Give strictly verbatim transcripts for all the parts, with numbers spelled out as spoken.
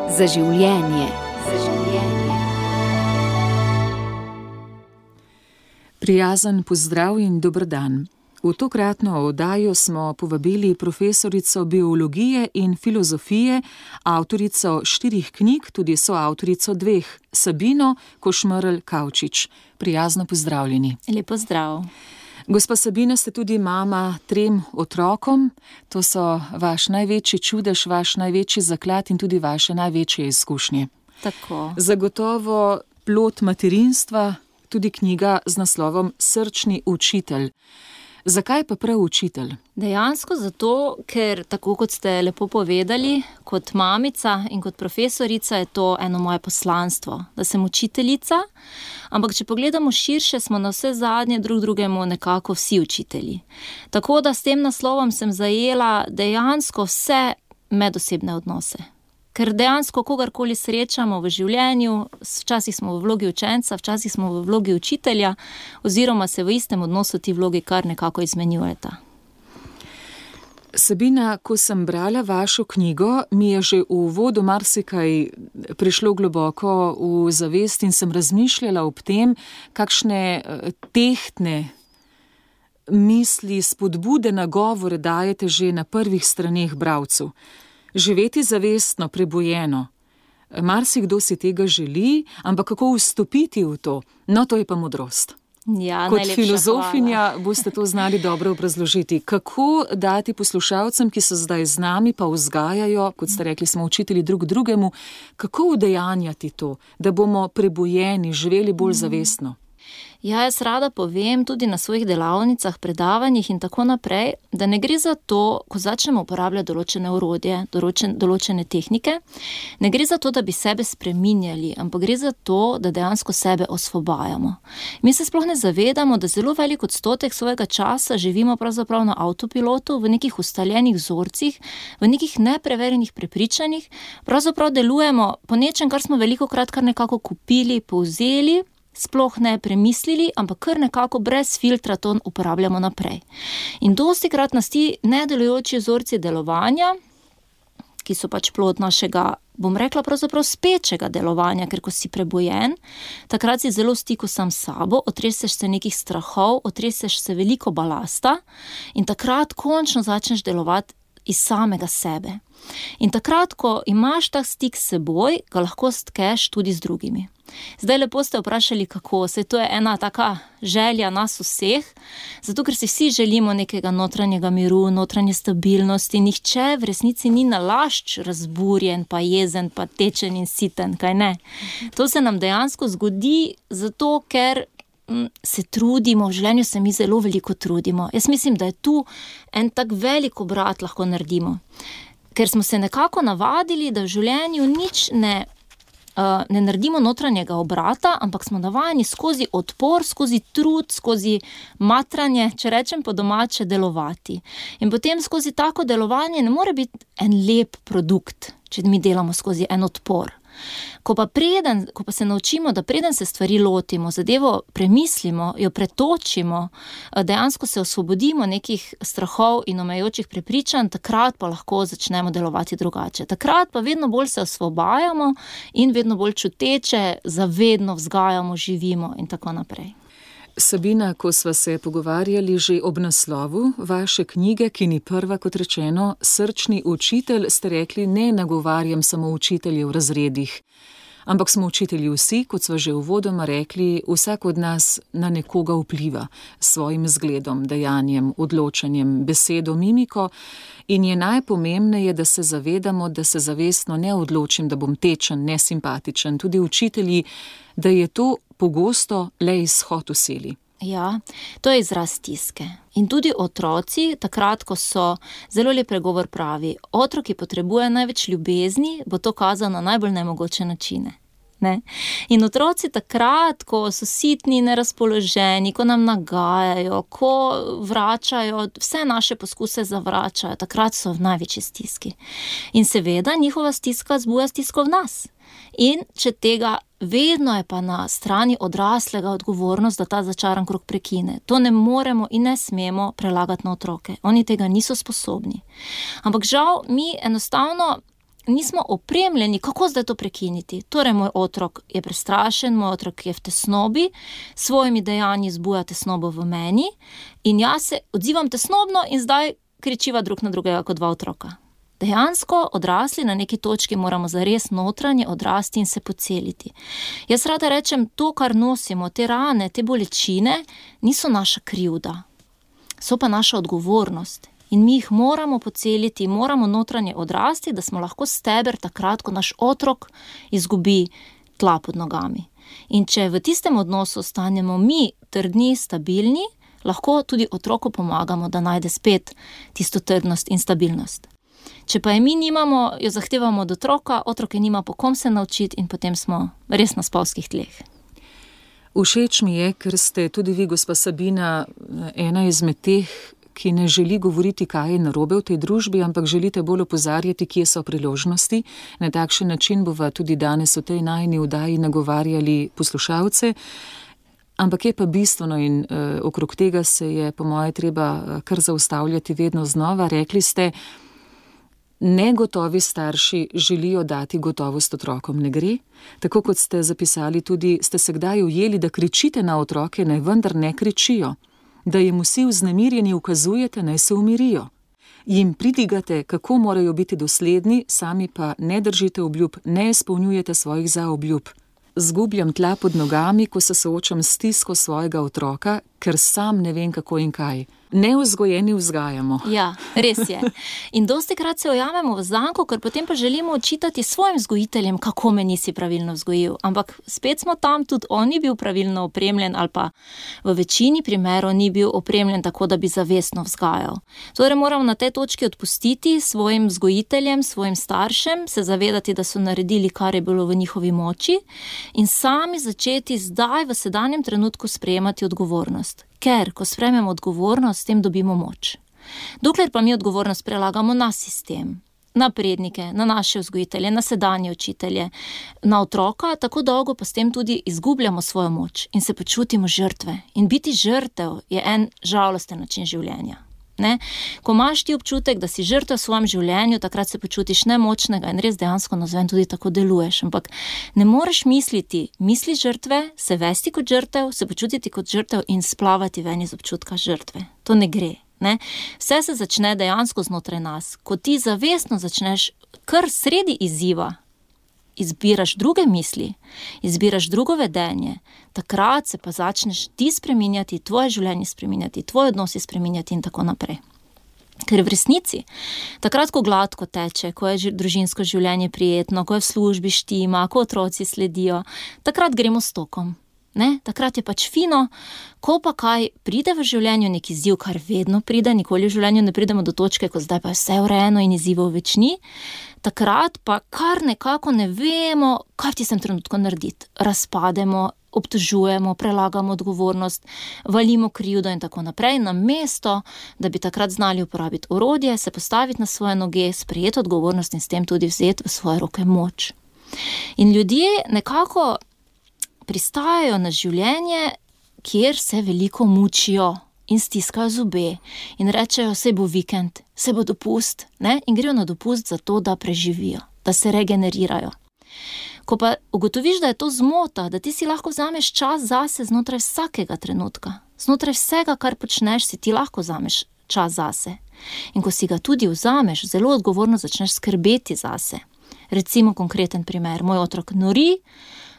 Za življenje. Za življenje. Prijazen pozdrav in dober dan. V tokratno oddajo smo povabili profesorico biologije in filozofije, avtorico štirih knjig, tudi soavtorico dveh, Sabino Košmerl Kavčič. Prijazno pozdravljeni. Lep pozdrav. Gospa Sabina, ste tudi mama trem otrokom. To so vaš največji čudež, vaš največji zaklad in tudi vaše največje izkušnje. Tako. Zagotovo plod materinstva, tudi knjiga z naslovom Srčni učitelj. Zakaj pa prav učitelj? Dejansko zato, ker tako kot ste lepo povedali, kot mamica in kot profesorica je to eno moje poslanstvo, da sem učiteljica, ampak če pogledamo širše, smo na vse zadnje drug drugemu nekako vsi učitelji. Tako da s tem naslovom sem zajela dejansko vse medosebne odnose. Ker dejansko kogarkoli srečamo v življenju, včasih smo v vlogi učenca, včasih smo v vlogi učitelja, oziroma se v istem odnosu ti vlogi kar nekako izmenjujeta. Sabina, ko sem brala vašo knjigo, mi je že v uvodu marsikaj prišlo globoko v zavest in sem razmišljala ob tem, kakšne tehtne misli, spodbude, nagovore dajete že na prvih straneh bralcu. Živeti zavestno, prebujeno. Marsikdo si tega želi, ampak kako vstopiti v to? No, to je pa modrost. Ja, Kot filozofinja boste to znali dobro obrazložiti. Kako dati poslušalcem, ki so zdaj z nami, pa vzgajajo, kot ste rekli, smo učitelji drug drugemu, kako udejanjati to, da bomo prebujeni, živeli bolj zavestno? Ja, jaz rada povem tudi na svojih delavnicah, predavanjih in tako naprej, da ne gre za to, ko začnemo uporabljati določene orodje, določen, določene tehnike, ne gre za to, da bi sebe spreminjali, ampak gre za to, da dejansko sebe osvobajamo. Mi se sploh ne zavedamo, da zelo velik odstotek svojega časa živimo pravzaprav na avtopilotu, v nekih ustaljenih vzorcih, v nekih nepreverjenih prepričanjih, pravzaprav delujemo po nečem, kar smo velikokrat kar nekako kupili, povzeli, sploh ne premislili, ampak kar nekako brez filtra to uporabljamo naprej. In dostikrat nas ti nedelujoči vzorci delovanja, ki so pač plod našega, bom rekla pravzaprav spečega delovanja, ker ko si prebojen, takrat si zelo v stiku sam s sabo, otreseš se nekih strahov, otreseš se veliko balasta in takrat končno začneš delovati iz samega sebe. In takrat, ko imaš tak stik s seboj, ga lahko stkeš tudi z drugimi. Zdaj lepo ste vprašali, kako, saj to je ena taka želja nas vseh, zato ker si vsi želimo nekega notranjega miru, notranje stabilnosti, nihče v resnici ni nalašč razburjen, pa jezen, pa tečen in siten, kaj ne? To se nam dejansko zgodi zato, ker se trudimo, v življenju se mi zelo veliko trudimo. Jaz mislim, da je tu en tak velik obrat lahko naredimo, ker smo se nekako navadili, da v življenju nič ne Uh, ne naredimo notranjega obrata, ampak smo navajeni skozi odpor, skozi trud, skozi matranje, če rečem po domače, delovati. In potem skozi tako delovanje ne more biti en lep produkt, če mi delamo skozi en odpor. Ko pa, preden, ko pa se naučimo, da preden se stvari lotimo, zadevo premislimo, jo pretočimo, dejansko se osvobodimo nekih strahov in omejujočih prepričanj, takrat pa lahko začnemo delovati drugače. Takrat pa vedno bolj se osvobajamo in vedno bolj čuteče, zavedno vzgajamo, živimo in tako naprej. Sabina, ko sva se pogovarjali že ob naslovu vaše knjige, ki ni prva, kot rečeno, Srčni učitelj, ste rekli, ne nagovarjam samo učitelje v razredih, ampak smo učitelji vsi, kot sva že uvodoma rekli, vsak od nas na nekoga vpliva s svojim zgledom, dejanjem, odločanjem, besedo, mimiko in je najpomembneje, da se zavedamo, da se zavestno ne odločim, da bom tečen, nesimpatičen, tudi učitelji, da je to pogosto le izhod v sili. Ja, to je izraz stiske. In tudi otroci, takrat, ko so, zelo lep pregovor pravi, otrok, ki potrebuje največ ljubezni, bo to kazal na najbolj nemogoče načine. Ne? In otroci takrat, ko so sitni, nerazpoloženi, ko nam nagajajo, ko vračajo, vse naše poskuse zavračajo, takrat so v največji stiski. In seveda njihova stiska zbuja stisko v nas. In če tega, vedno je pa na strani odraslega odgovornost, da ta začaran krog prekine. To ne moremo in ne smemo prelagati na otroke. Oni tega niso sposobni. Ampak žal mi enostavno nismo opremljeni, kako zdaj to prekiniti. Torej, moj otrok je prestrašen, moj otrok je v tesnobi, s svojimi dejanji zbuja tesnobo v meni in jaz se odzivam tesnobno in zdaj kričiva drug na drugega kot dva otroka. Dejansko odrasli na neki točki moramo zares notranje odrasti in se poceliti. Jaz rada rečem, to, kar nosimo, te rane, te bolečine, niso naša krivda, so pa naša odgovornost. In mi jih moramo poceliti, moramo notranje odrasti, da smo lahko steber takrat, ko naš otrok izgubi tla pod nogami. In če v tistem odnosu ostanemo mi trdni, stabilni, lahko tudi otroku pomagamo, da najde spet tisto trdnost in stabilnost. Če pa je mi nimamo, jo zahtevamo od otroka, otrok je nima po kom se naučiti in potem smo res na spolskih tleh. Všeč mi je, ker ste tudi vi, gospa Sabina, ena izmed teh, ki ne želi govoriti, kaj je narobe v tej družbi, ampak želite bolj opozarjati, kje so priložnosti. Na takšen način bova tudi danes v tej najini vdaji nagovarjali poslušalce. Ampak je pa bistveno in uh, okrog tega se je po moje treba kar zaustavljati vedno znova. Rekli ste, negotovi starši želijo dati gotovost otrokom. Ne gre? Tako kot ste zapisali tudi, ste se kdaj ujeli, da kričite na otroke, naj vendar ne kričijo. Da jim vsi vznemirjeni ukazujete, naj se umirijo. Jim pridigate, kako morajo biti dosledni, sami pa ne držite obljub, ne izpolnjujete svojih zaobljub. Zgubljam tla pod nogami, ko se soočam s stisko svojega otroka, ker sam ne vem kako in kaj. Nevzgojeni vzgajamo. Ja, res je. In dostikrat se ujamemo v zanko, ker potem pa želimo očitati svojim vzgojiteljem, kako me nisi pravilno vzgojil. Ampak spet smo tam, tudi on ni bil pravilno opremljen ali pa v večini primerov ni bil opremljen tako, da bi zavestno vzgajal. Torej moramo na tej točki odpustiti svojim vzgojiteljem, svojim staršem, se zavedati, da so naredili, kar je bilo v njihovi moči in sami začeti zdaj v sedanjem trenutku sprejemati odgovornost. Ker, ko sprejmemo odgovornost, s tem dobimo moč. Dokler pa mi odgovornost prelagamo na sistem, na prednike, na naše vzgojitelje, na sedanje učitelje, na otroka, tako dolgo pa s tem tudi izgubljamo svojo moč in se počutimo žrtve. In biti žrtev je en žalosten način življenja. Ne? Ko imaš ti občutek, da si žrtev v svojem življenju, takrat se počutiš nemočnega in res dejansko nazven tudi tako deluješ. Ampak ne moreš misliti, misli žrtve, se vesti kot žrtev, se počutiti kot žrtev in splavati ven iz občutka žrtve. To ne gre. Ne? Vse se začne dejansko znotraj nas. Ko ti zavestno začneš kar sredi izziva, izbiraš druge misli, izbiraš drugo vedenje, takrat se pa začneš ti spreminjati, tvoje življenje spreminjati, tvoje odnosi spreminjati in tako naprej. Ker v resnici, takrat, ko gladko teče, ko je družinsko življenje prijetno, ko je v službi štima, ko otroci sledijo, takrat gremo s tokom. Ne? Takrat je pač fino, ko pa kaj pride v življenju, neki izziv, kar vedno pride, nikoli v življenju ne pridemo do točke, ko zdaj pa je vse urejeno in izzivov več ni, takrat pa kar nekako ne vemo, kaj v tistem trenutku narediti. Razpademo, obtožujemo, prelagamo odgovornost, valimo krivdo in tako naprej, namesto, da bi takrat znali uporabiti orodje, se postaviti na svoje noge, sprejeti odgovornost in s tem tudi vzeti v svoje roke moč. In ljudje nekako pristajajo na življenje, kjer se veliko mučijo in stiskajo zobe in rečejo, saj bo vikend, saj bo dopust, ne? In grejo na dopust zato, da preživijo, da se regenerirajo. Ko pa ugotoviš, da je to zmota, da ti si lahko vzameš čas zase znotraj vsakega trenutka, znotraj vsega, kar počneš, si ti lahko vzameš čas zase. In ko si ga tudi vzameš, zelo odgovorno začneš skrbeti zase. Recimo konkreten primer, moj otrok nori,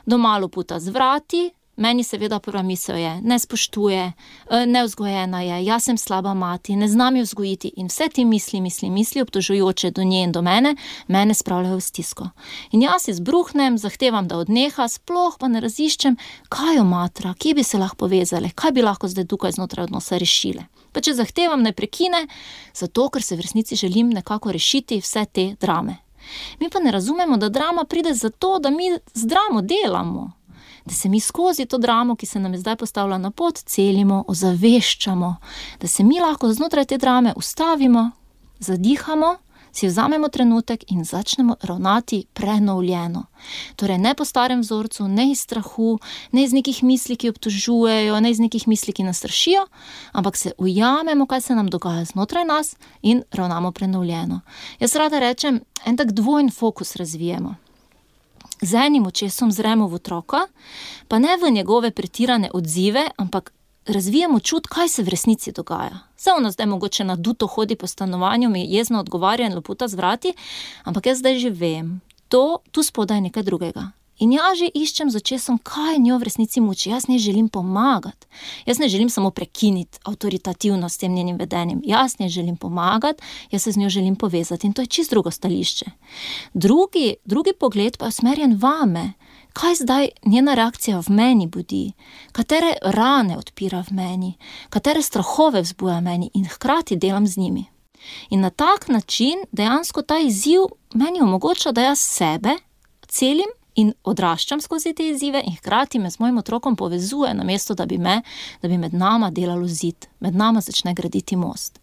doma luputa z vrati, meni seveda prva misel je, ne spoštuje, nevzgojena je, jaz sem slaba mati, ne znam jo vzgojiti in vse ti misli, misli, misli, obtožujoče do nje in do mene, mene spravljajo v stisko. In jaz izbruhnem, zahtevam, da odneha, sploh pa ne raziščem, kaj jo matra, kje bi se lahko povezale, kaj bi lahko zdaj tukaj znotraj odnosa rešile. Pa če zahtevam, ne prekine, zato ker se v resnici želim nekako rešiti vse te drame. Mi pa ne razumemo, da drama pride zato, da mi z dramo delamo. Da se mi skozi to dramo, ki se nam je zdaj postavila na pot, celimo, ozaveščamo. Da se mi lahko znotraj te drame ustavimo, zadihamo, si vzamemo trenutek in začnemo ravnati prenovljeno. Torej ne po starem vzorcu, ne iz strahu, ne iz nekih misli, ki obtožujejo, ne iz nekih misli, ki nas strašijo, ampak se ujamemo, kaj se nam dogaja znotraj nas in ravnamo prenovljeno. Jaz rada rečem, en tak dvojn fokus razvijemo. Z enim očesom zremo v otroka, pa ne v njegove pretirane odzive, ampak razvijamo čut, kaj se v resnici dogaja. Saj ono zdaj mogoče naduto hodi po stanovanju, mi jezno odgovarja in loputa z vrati, ampak jaz zdaj že vem, to, tu spodaj nekaj drugega. In jaz že iščem z očesom, kaj njo v resnici muči. Jaz ne želim pomagati. Jaz ne želim samo prekiniti avtoritativno s tem njenim vedenjem. Jaz ne želim pomagati, jaz se z njo želim povezati. In to je čisto drugo stališče. Drugi, drugi pogled pa je usmerjen vame. Kaj zdaj njena reakcija v meni budi? Katere rane odpira v meni? Katere strahove vzbuja v meni? In hkrati delam z njimi. In na tak način dejansko ta izziv meni omogoča, da jaz sebe celim in odraščam skozi te izzive in hkrati me z mojim otrokom povezuje, namesto da bi me, da bi med nama delalo zid, med nama začne graditi most.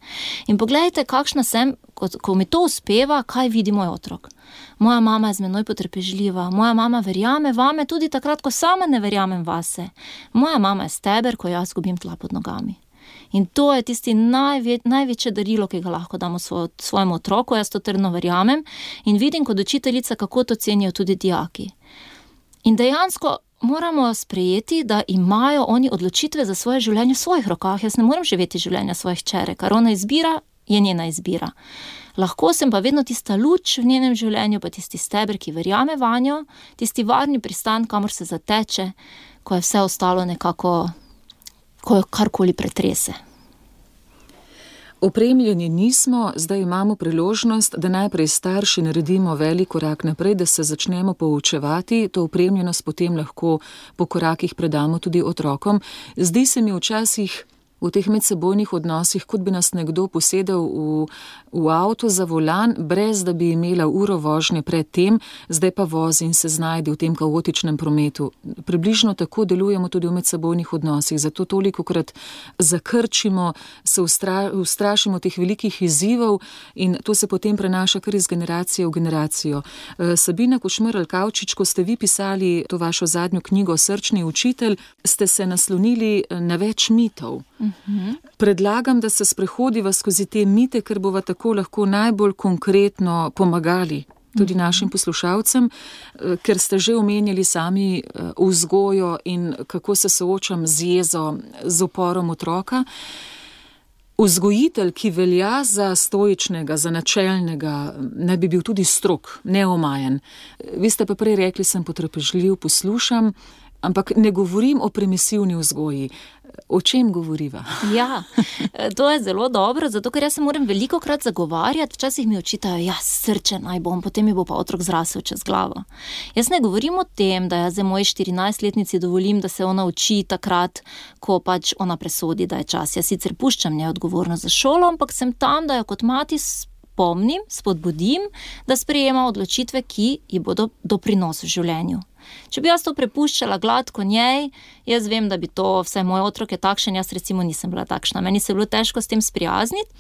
In poglejte, kakšna sem, ko, ko mi to uspeva, kaj vidi moj otrok. Moja mama je z menoj potrpežljiva, moja mama verjame vame tudi takrat, ko sama ne verjamem vase. Moja mama je steber, ko jaz gubim tla pod nogami. In to je tisti najve, največje darilo, ki ga lahko damo svoj, svojemu otroku, jaz to trdno verjamem in vidim kot učiteljica, kako to cenijo tudi dijaki. In dejansko moramo sprejeti, da imajo oni odločitve za svoje življenje v svojih rokah. Jaz ne morem živeti življenja svojih čere, kar ona izbira, je njena izbira. Lahko sem pa vedno tista luč v njenem življenju, pa tisti steber, ki verjame vanjo, tisti varni pristan, kamor se zateče, ko je vse ostalo nekako, ko jo karkoli pretrese. Opremljeni nismo, zdaj imamo priložnost, da najprej starši naredimo velik korak naprej, da se začnemo poučevati, to opremljenost potem lahko po korakih predamo tudi otrokom. Zdi se mi včasih v teh medsebojnih odnosih, kot bi nas nekdo posedel v, v avto za volan, brez da bi imela uro vožnje pred tem, zdaj pa vozi in se znajde v tem kaotičnem prometu. Približno tako delujemo tudi v medsebojnih odnosih, zato tolikokrat zakrčimo, se ustra, ustrašimo teh velikih izzivov in to se potem prenaša kar iz generacije v generacijo. Sabina Košmerl-Kavčič, ko ste vi pisali to vašo zadnjo knjigo Srčni učitelj, ste se naslonili na več mitov. Uhum. Predlagam, da se sprehodiva skozi te mite, ker bova tako lahko najbolj konkretno pomagali tudi našim poslušalcem, ker ste že omenjali sami vzgojo in kako se soočam z jezo, z uporom otroka. Vzgojitelj, ki velja za stoičnega, za načelnega, ne bi bil tudi strog, neomajen. Vi ste pa prej rekli, sem potrpežljiv, poslušam, ampak ne govorim o permisivni vzgoji. O čem govoriva? Ja, to je zelo dobro, zato ker jaz se moram velikokrat zagovarjati, včasih mi očitajo, ja, srčen naj bom, potem mi bo pa otrok zrasel čez glavo. Jaz ne govorim o tem, da jaz za moji štirinajstletnici dovolim, da se ona uči takrat, ko pač ona presodi, da je čas. Jaz sicer puščam njej odgovornost za šolo, ampak sem tam, da jo kot mati spomnim, spodbudim, da sprejema odločitve, ki ji bodo doprinos v življenju. Če bi jaz to prepuščala gladko njej, jaz vem, da bi to, vse moj otrok je takšen, jaz recimo nisem bila takšna. Meni se je bilo težko s tem sprijazniti,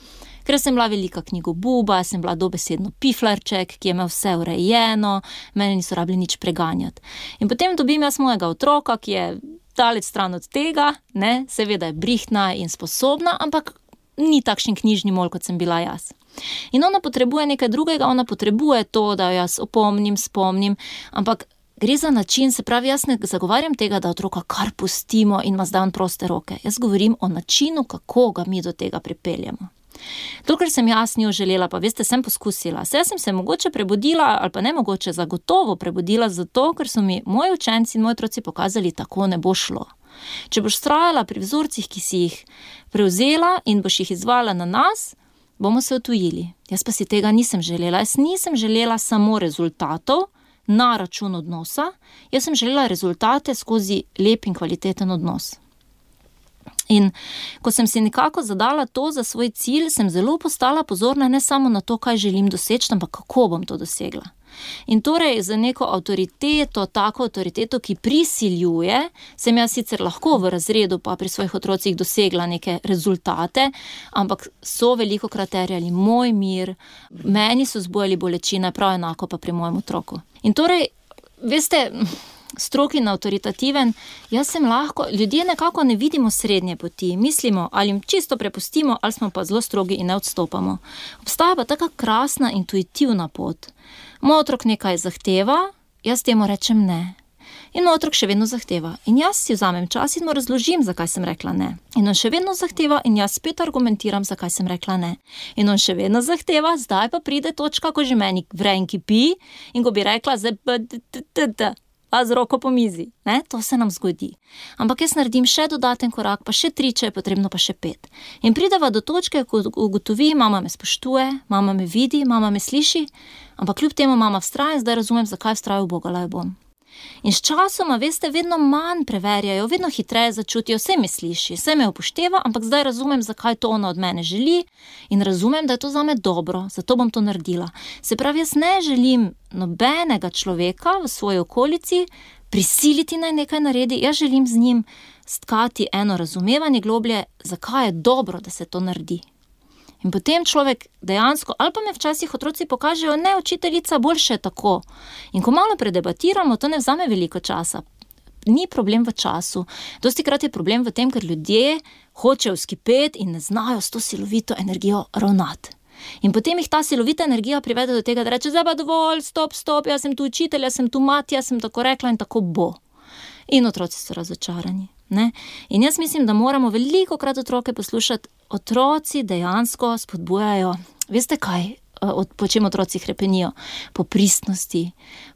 ker sem bila velika knjigobuba, sem bila dobesedno piflarček, ki je imel vse urejeno, meni niso rabili nič preganjati. In potem dobim jaz mojega otroka, ki je daleč stran od tega, ne, seveda je brihtna in sposobna, ampak ni takšen knjižni mol, kot sem bila jaz. In ona potrebuje nekaj drugega, ona potrebuje to, da jo jaz opomnim, spomnim, ampak gre za način, se pravi, jaz ne zagovarjam tega, da otroka kar pustimo in ima zdaj on proste roke. Jaz govorim o načinu, kako ga mi do tega pripeljemo. Dokler sem jaz njo želela, pa veste, sem poskusila. Saj sem se mogoče prebudila, ali pa ne mogoče, zagotovo prebudila zato, ker so mi moji učenci in moji otroci pokazali, tako ne bo šlo. Če boš vztrajala pri vzorcih, ki si jih prevzela in boš jih izvajala na nas, bomo se odtujili. Jaz pa si tega nisem želela. Jaz nisem želela samo rezultatov na račun odnosa, jaz sem želela rezultate skozi lep in kvaliteten odnos. In ko sem si nekako zadala to za svoj cilj, sem zelo postala pozorna ne samo na to, kaj želim doseči, ampak kako bom to dosegla. In torej za neko avtoriteto, tako avtoriteto, ki prisiljuje, sem jaz sicer lahko v razredu pa pri svojih otrocih dosegla neke rezultate, ampak so veliko krat terjali moj mir, meni so zbujali bolečine, prav enako pa pri mojem otroku. In torej, veste, strog in avtoritativen, jaz sem lahko, ljudje nekako ne vidimo srednje poti, mislimo, ali jim čisto prepustimo, ali smo pa zelo strogi in ne odstopamo. Obstaja pa taka krasna, intuitivna pot. Moj otrok nekaj zahteva, jaz temu rečem ne. In moj otrok še vedno zahteva. In jaz si vzamem čas in mu razložim, zakaj sem rekla ne. In on še vedno zahteva in jaz spet argumentiram, zakaj sem rekla ne. In on še vedno zahteva, zdaj pa pride točka, ko že meni vre in kipi in ko bi rekla, zdaj pa a z roko po mizi. Ne? To se nam zgodi. Ampak jaz naredim še dodaten korak, pa še tri, če je potrebno, pa še pet. In prideva do točke, ko ugotovi, mama me spoštuje, mama me vidi, mama me sliši, ampak kljub temu mama vztraja in zdaj razumem, zakaj vztraja, ubogala jo bom. In s časoma, veste, vedno manj preverjajo, vedno hitreje začutijo, vse me sliši, vse me upošteva, ampak zdaj razumem, zakaj to ona od mene želi in razumem, da je to zame dobro, zato bom to naredila. Se pravi, jaz ne želim nobenega človeka v svoji okolici prisiliti naj nekaj naredi, jaz želim z njim stkati eno razumevanje globlje, zakaj je dobro, da se to naredi. In potem človek dejansko, ali pa me včasih otroci pokažejo, ne, učiteljica, boljše je tako. In ko malo predebatiramo, to ne vzame veliko časa. Ni problem v času. Dostikrat je problem v tem, ker ljudje hočejo skipeti in ne znajo s to silovito energijo ravnati. In potem jih ta silovita energija privede do tega, da reče, zdaj pa dovolj, stop, stop, jaz sem tu učitelj, jaz sem tu mati, jaz sem tako rekla in tako bo. In otroci so razočarani. Ne? In jaz mislim, da moramo veliko krat otroke poslušati. Otroci dejansko spodbujajo, veste kaj, po čem otroci hrepenijo? Po pristnosti,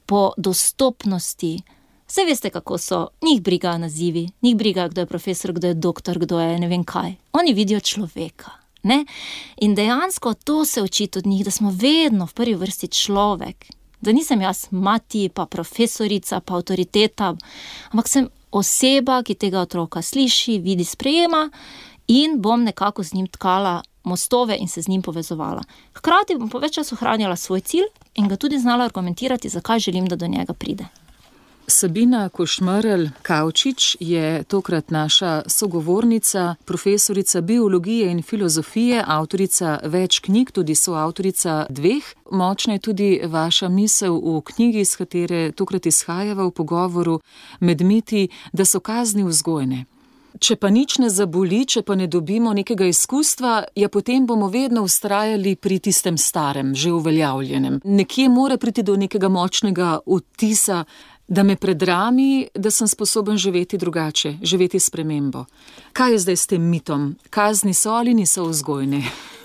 po dostopnosti. Vse veste, kako so, njih brigajo nazivi, njih brigajo, kdo je profesor, kdo je doktor, kdo je ne vem kaj. Oni vidijo človeka. Ne? In dejansko to se učiti od njih, da smo vedno v prvi vrsti človek. Da nisem jaz mati, pa profesorica, pa avtoriteta, ampak sem oseba, ki tega otroka sliši, vidi, sprejema in bom nekako z njim tkala mostove in se z njim povezovala. Hkrati bom po več času ohranjala svoj cilj in ga tudi znala argumentirati, zakaj želim, da do njega pride. Sabina Košmerl-Kavčič je tokrat naša sogovornica, profesorica biologije in filozofije, avtorica več knjig, tudi soavtorica dveh. Močna je tudi vaša misel v knjigi, iz katere tokrat izhajava v pogovoru med miti, da so kazni vzgojne. Če pa nič ne zaboli, če pa ne dobimo nekega izkustva, ja potem bomo vedno vztrajali pri tistem starem, že uveljavljenem. Nekje mora priti do nekega močnega vtisa, da me predrami, da sem sposoben živeti drugače, živeti spremembo. Kaj je zdaj s tem mitom? Kazni so ali niso vzgojne?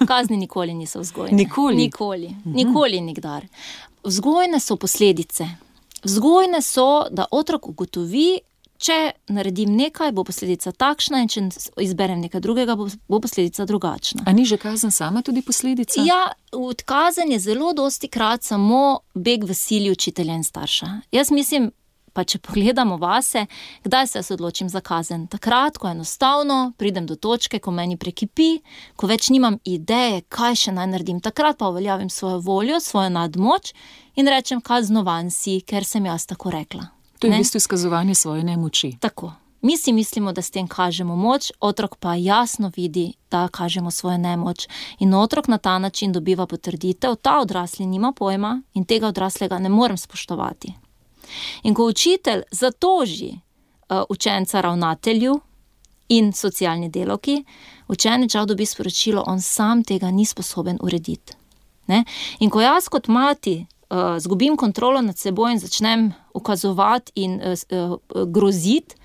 Kazni nikoli niso vzgojne. Nikoli? Nikoli. Nikoli nikdar. Vzgojne so posledice. Vzgojne so, da otrok ugotovi, če naredim nekaj, bo posledica takšna in če izberem nekaj drugega, bo posledica drugačna. A ni že kazen sama tudi posledica? Ja, kazen je zelo dosti krat samo beg v sili učitelja in starša. Jaz mislim, pa če pogledamo vase, kdaj se jaz odločim za kazen? Takrat, ko enostavno pridem do točke, ko meni prekipi, ko več nimam ideje, kaj še naj naredim. Takrat pa uveljavim svojo voljo, svojo nadmoč in rečem, kaznovan si, ker sem jaz tako rekla. To je v bistvu izkazovanje svoje nemoči. Tako. Mi si mislimo, da s tem kažemo moč, otrok pa jasno vidi, da kažemo svojo nemoč. In otrok na ta način dobiva potrditev, ta odrasli nima pojma in tega odraslega ne morem spoštovati. In ko učitelj zatoži uh, učenca ravnatelju in socialni delavki, učenec žal dobi sporočilo, on sam tega ni sposoben urediti. Ne? In ko jaz kot mati Uh, zgubim kontrolo nad seboj in začnem ukazovati in uh, uh, groziti,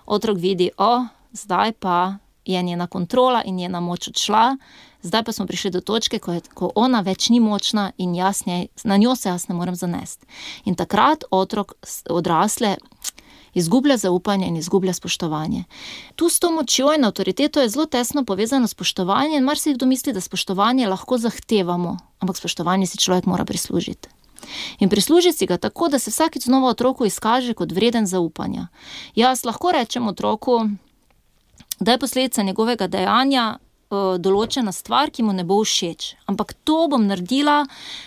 otrok vidi, o, zdaj pa je njena kontrola in njena moč odšla, zdaj pa smo prišli do točke, ko, je, ko ona več ni močna in jaz njej, na njo se jaz ne morem zanesti. In takrat otrok odrasle izgublja zaupanje in izgublja spoštovanje. Tu s to močjo in avtoriteto je zelo tesno povezano spoštovanje in marsikdo misli, da spoštovanje lahko zahtevamo, ampak spoštovanje si človek mora prislužiti. In prisluži si ga tako, da se vsakič znova otroku izkaže kot vreden zaupanja. Jaz lahko rečem otroku, da je posledica njegovega dejanja določena stvar, ki mu ne bo všeč. Ampak to bom naredila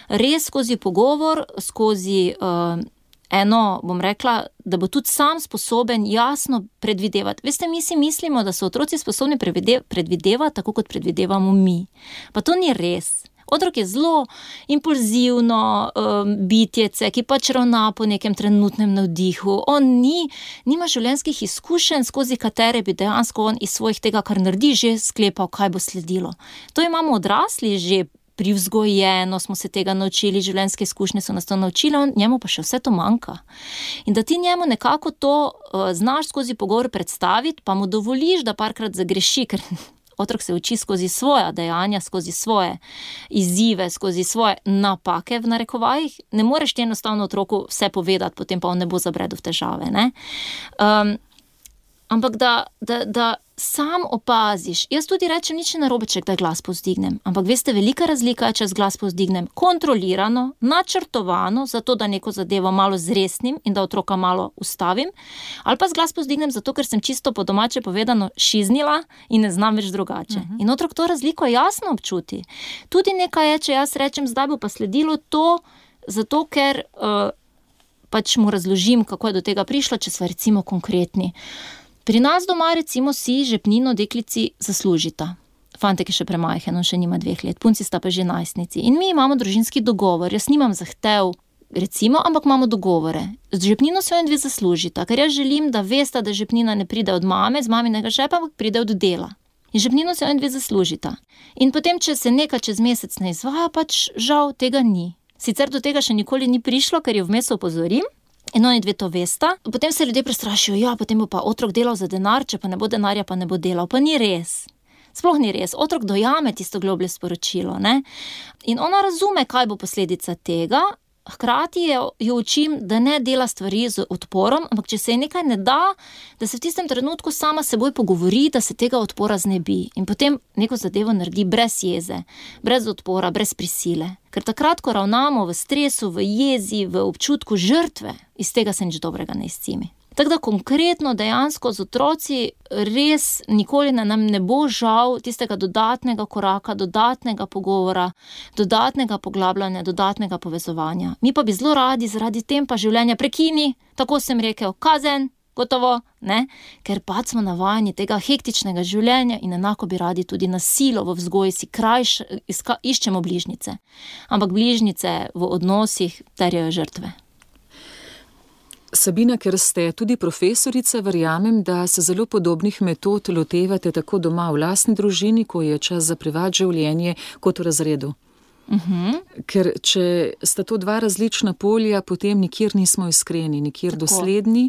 res skozi pogovor, skozi uh, eno, bom rekla, da bo tudi sam sposoben jasno predvidevati. Veste, mi si mislimo, da so otroci sposobni predvidevati, tako kot predvidevamo mi. Pa to ni res. Otrok je zelo impulzivno um, bitjece, ki pač ravna po nekem trenutnem navdihu. On ni, nima življenjskih izkušenj, skozi katere bi dejansko on iz svojih tega, kar naredi, že sklepal, kaj bo sledilo. To imamo odrasli že privzgojeno, smo se tega naučili, življenjske izkušnje so nas to naučili, on, njemu pa še vse to manjka. In da ti njemu nekako to uh, znaš skozi pogovor predstaviti, pa mu dovoliš, da parkrat zagreši, ker otrok se uči skozi svoja dejanja, skozi svoje izzive, skozi svoje napake v narekovajih. Ne moreš ti enostavno otroku vse povedati, potem pa on ne bo zabredel v težave, ne? Um, ampak da, da, da sam opaziš. Jaz tudi rečem, nič ne narobe, če kdaj glas povzdignem. Ampak veste, velika razlika je, če z glas povzdignem kontrolirano, načrtovano, zato da neko zadevo malo zresnim in da otroka malo ustavim, ali pa z glas povzdignem zato, ker sem čisto po domače povedano šiznila in ne znam več drugače. Uh-huh. In otrok to razliko jasno občuti. Tudi nekaj je, če jaz rečem, zdaj bo pa sledilo to, zato ker uh, pač mu razložim, kako je do tega prišlo, če sva recimo konkretni. Pri nas doma recimo si žepnino deklici zaslužita. Fantek je še premajhen, on še nima dveh let, punci sta pa že najstnici. In mi imamo družinski dogovor, jaz nimam zahtev, recimo, ampak imamo dogovore. Z žepnino se on dve zaslužita, ker jaz želim, da veste, da žepnina ne pride od mame, z maminega žepa, ampak pride od dela. In žepnino se on dve zaslužita. In potem, če se nekaj čez mesec ne izvaja, pač žal tega ni. Sicer do tega še nikoli ni prišlo, ker jo vmes opozorim, in oni dve to vesta. Potem se ljudje prestrašijo, ja, potem bo pa otrok delal za denar, če pa ne bo denarja, pa ne bo delal. Pa ni res. Sploh ni res. Otrok dojame tisto globlje sporočilo, ne? In ona razume, kaj bo posledica tega, hkrati jo, jo učim, da ne dela stvari z odporom, ampak če se je nekaj ne da, da se v tistem trenutku sama seboj pogovori, da se tega odpora znebi. In potem neko zadevo naredi brez jeze, brez odpora, brez prisile. Ker takrat, ko ravnamo v stresu, v jezi, v občutku žrtve, iz tega se nič dobrega ne izcimi. Tako da konkretno dejansko z otroci res nikoli ne, nam ne bo žal tistega dodatnega koraka, dodatnega pogovora, dodatnega poglabljanja, dodatnega povezovanja. Mi pa bi zelo radi zaradi tempa življenja prekini, tako sem rekel, kazen, gotovo, ne? Ker pa smo navajeni tega hektičnega življenja in enako bi radi tudi na silo v vzgoji si krajš, iska, iščemo bližnjice. Ampak bližnjice v odnosih terjajo žrtve. Sabina, ker ste tudi profesorica, verjamem, da se zelo podobnih metod lotevate tako doma v lastni družini, ko je čas za privat življenje, kot v razredu. Uh-huh. Ker če sta to dva različna polja, potem nikjer nismo iskreni, nikjer tako dosledni.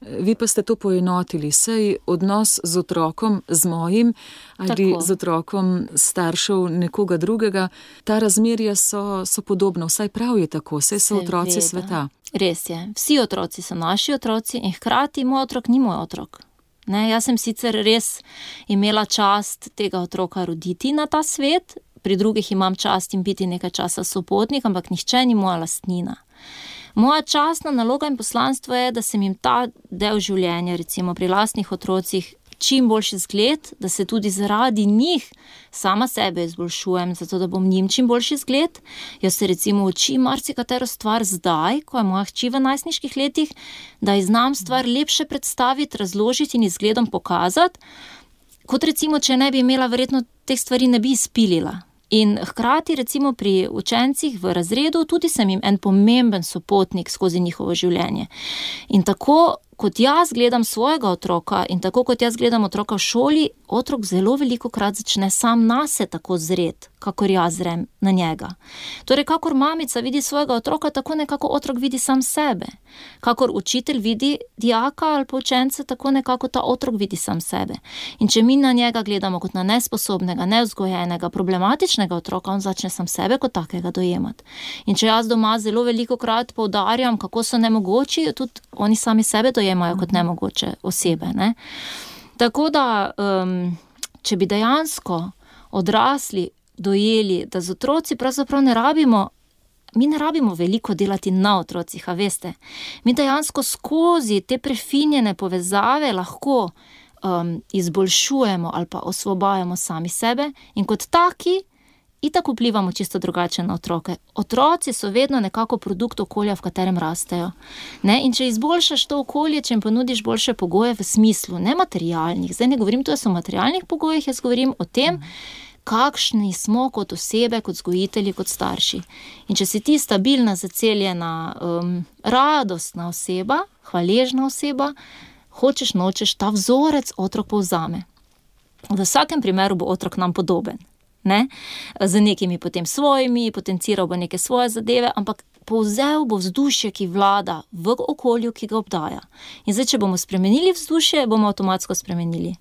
Vi pa ste to poenotili, saj odnos z otrokom, z mojim ali tako z otrokom staršev nekoga drugega, ta razmerja so, so podobna, vsaj prav je tako, saj so otroci sveta. Res je, vsi otroci so naši otroci in hkrati moj otrok ni moj otrok. Ne, jaz sem sicer res imela čast tega otroka roditi na ta svet, pri drugih imam čast in biti nekaj časa sopotnik, ampak nihče ni moja lastnina. Moja častna naloga in poslanstvo je, da sem jim ta del življenja, recimo pri lastnih otrocih, čim boljši zgled, da se tudi zaradi njih sama sebe izboljšujem, zato da bom njim čim boljši zgled. Jaz se recimo učim marsikatero stvar zdaj, ko je moja hči v najstniških letih, da ji znam stvar lepše predstaviti, razložiti in izgledom pokazati, kot recimo, če ne bi imela, verjetno teh stvari ne bi izpilila. In hkrati recimo pri učencih v razredu tudi sem jim en pomemben sopotnik skozi njihovo življenje. In tako kot jaz gledam svojega otroka in tako kot jaz gledam otroka v šoli, otrok zelo veliko krat začne sam nase tako zret, kakor jaz zrem na njega. Torej, kakor mamica vidi svojega otroka, tako nekako otrok vidi sam sebe. Kakor učitelj vidi dijaka ali pa učence, tako nekako ta otrok vidi sam sebe. In če mi na njega gledamo kot na nesposobnega, nevzgojenega, problematičnega otroka, on začne sam sebe kot takega dojemati. In če jaz doma zelo veliko krat poudarjam, kako so nemogoči, tudi oni sami sebe dojemajo kot nemogoče osebe, ne? Tako da, um, če bi dejansko odrasli dojeli, da z otroci pravzaprav ne rabimo, mi ne rabimo veliko delati na otrocih, a veste. Mi dejansko skozi te prefinjene povezave lahko um, izboljšujemo ali pa osvobajamo sami sebe in kot taki itak vplivamo čisto drugače na otroke. Otroci so vedno nekako produkt okolja, v katerem rastejo. Ne? In če izboljšaš to okolje, če jim ponudiš boljše pogoje v smislu, ne materialnih, zdaj ne govorim tudi o materialnih pogojih, jaz govorim o tem, kakšni smo kot osebe, kot vzgojitelji, kot starši. In če si ti stabilna, zaceljena, um, radostna oseba, hvaležna oseba, hočeš, nočeš, ta vzorec otrok povzame. V vsakem primeru bo otrok nam podoben. Ne? Z nekimi potem svojimi, potenciral bo neke svoje zadeve, ampak povzel bo vzdušje, ki vlada v okolju, ki ga obdaja. In zdaj, če bomo spremenili vzdušje, bomo avtomatsko spremenili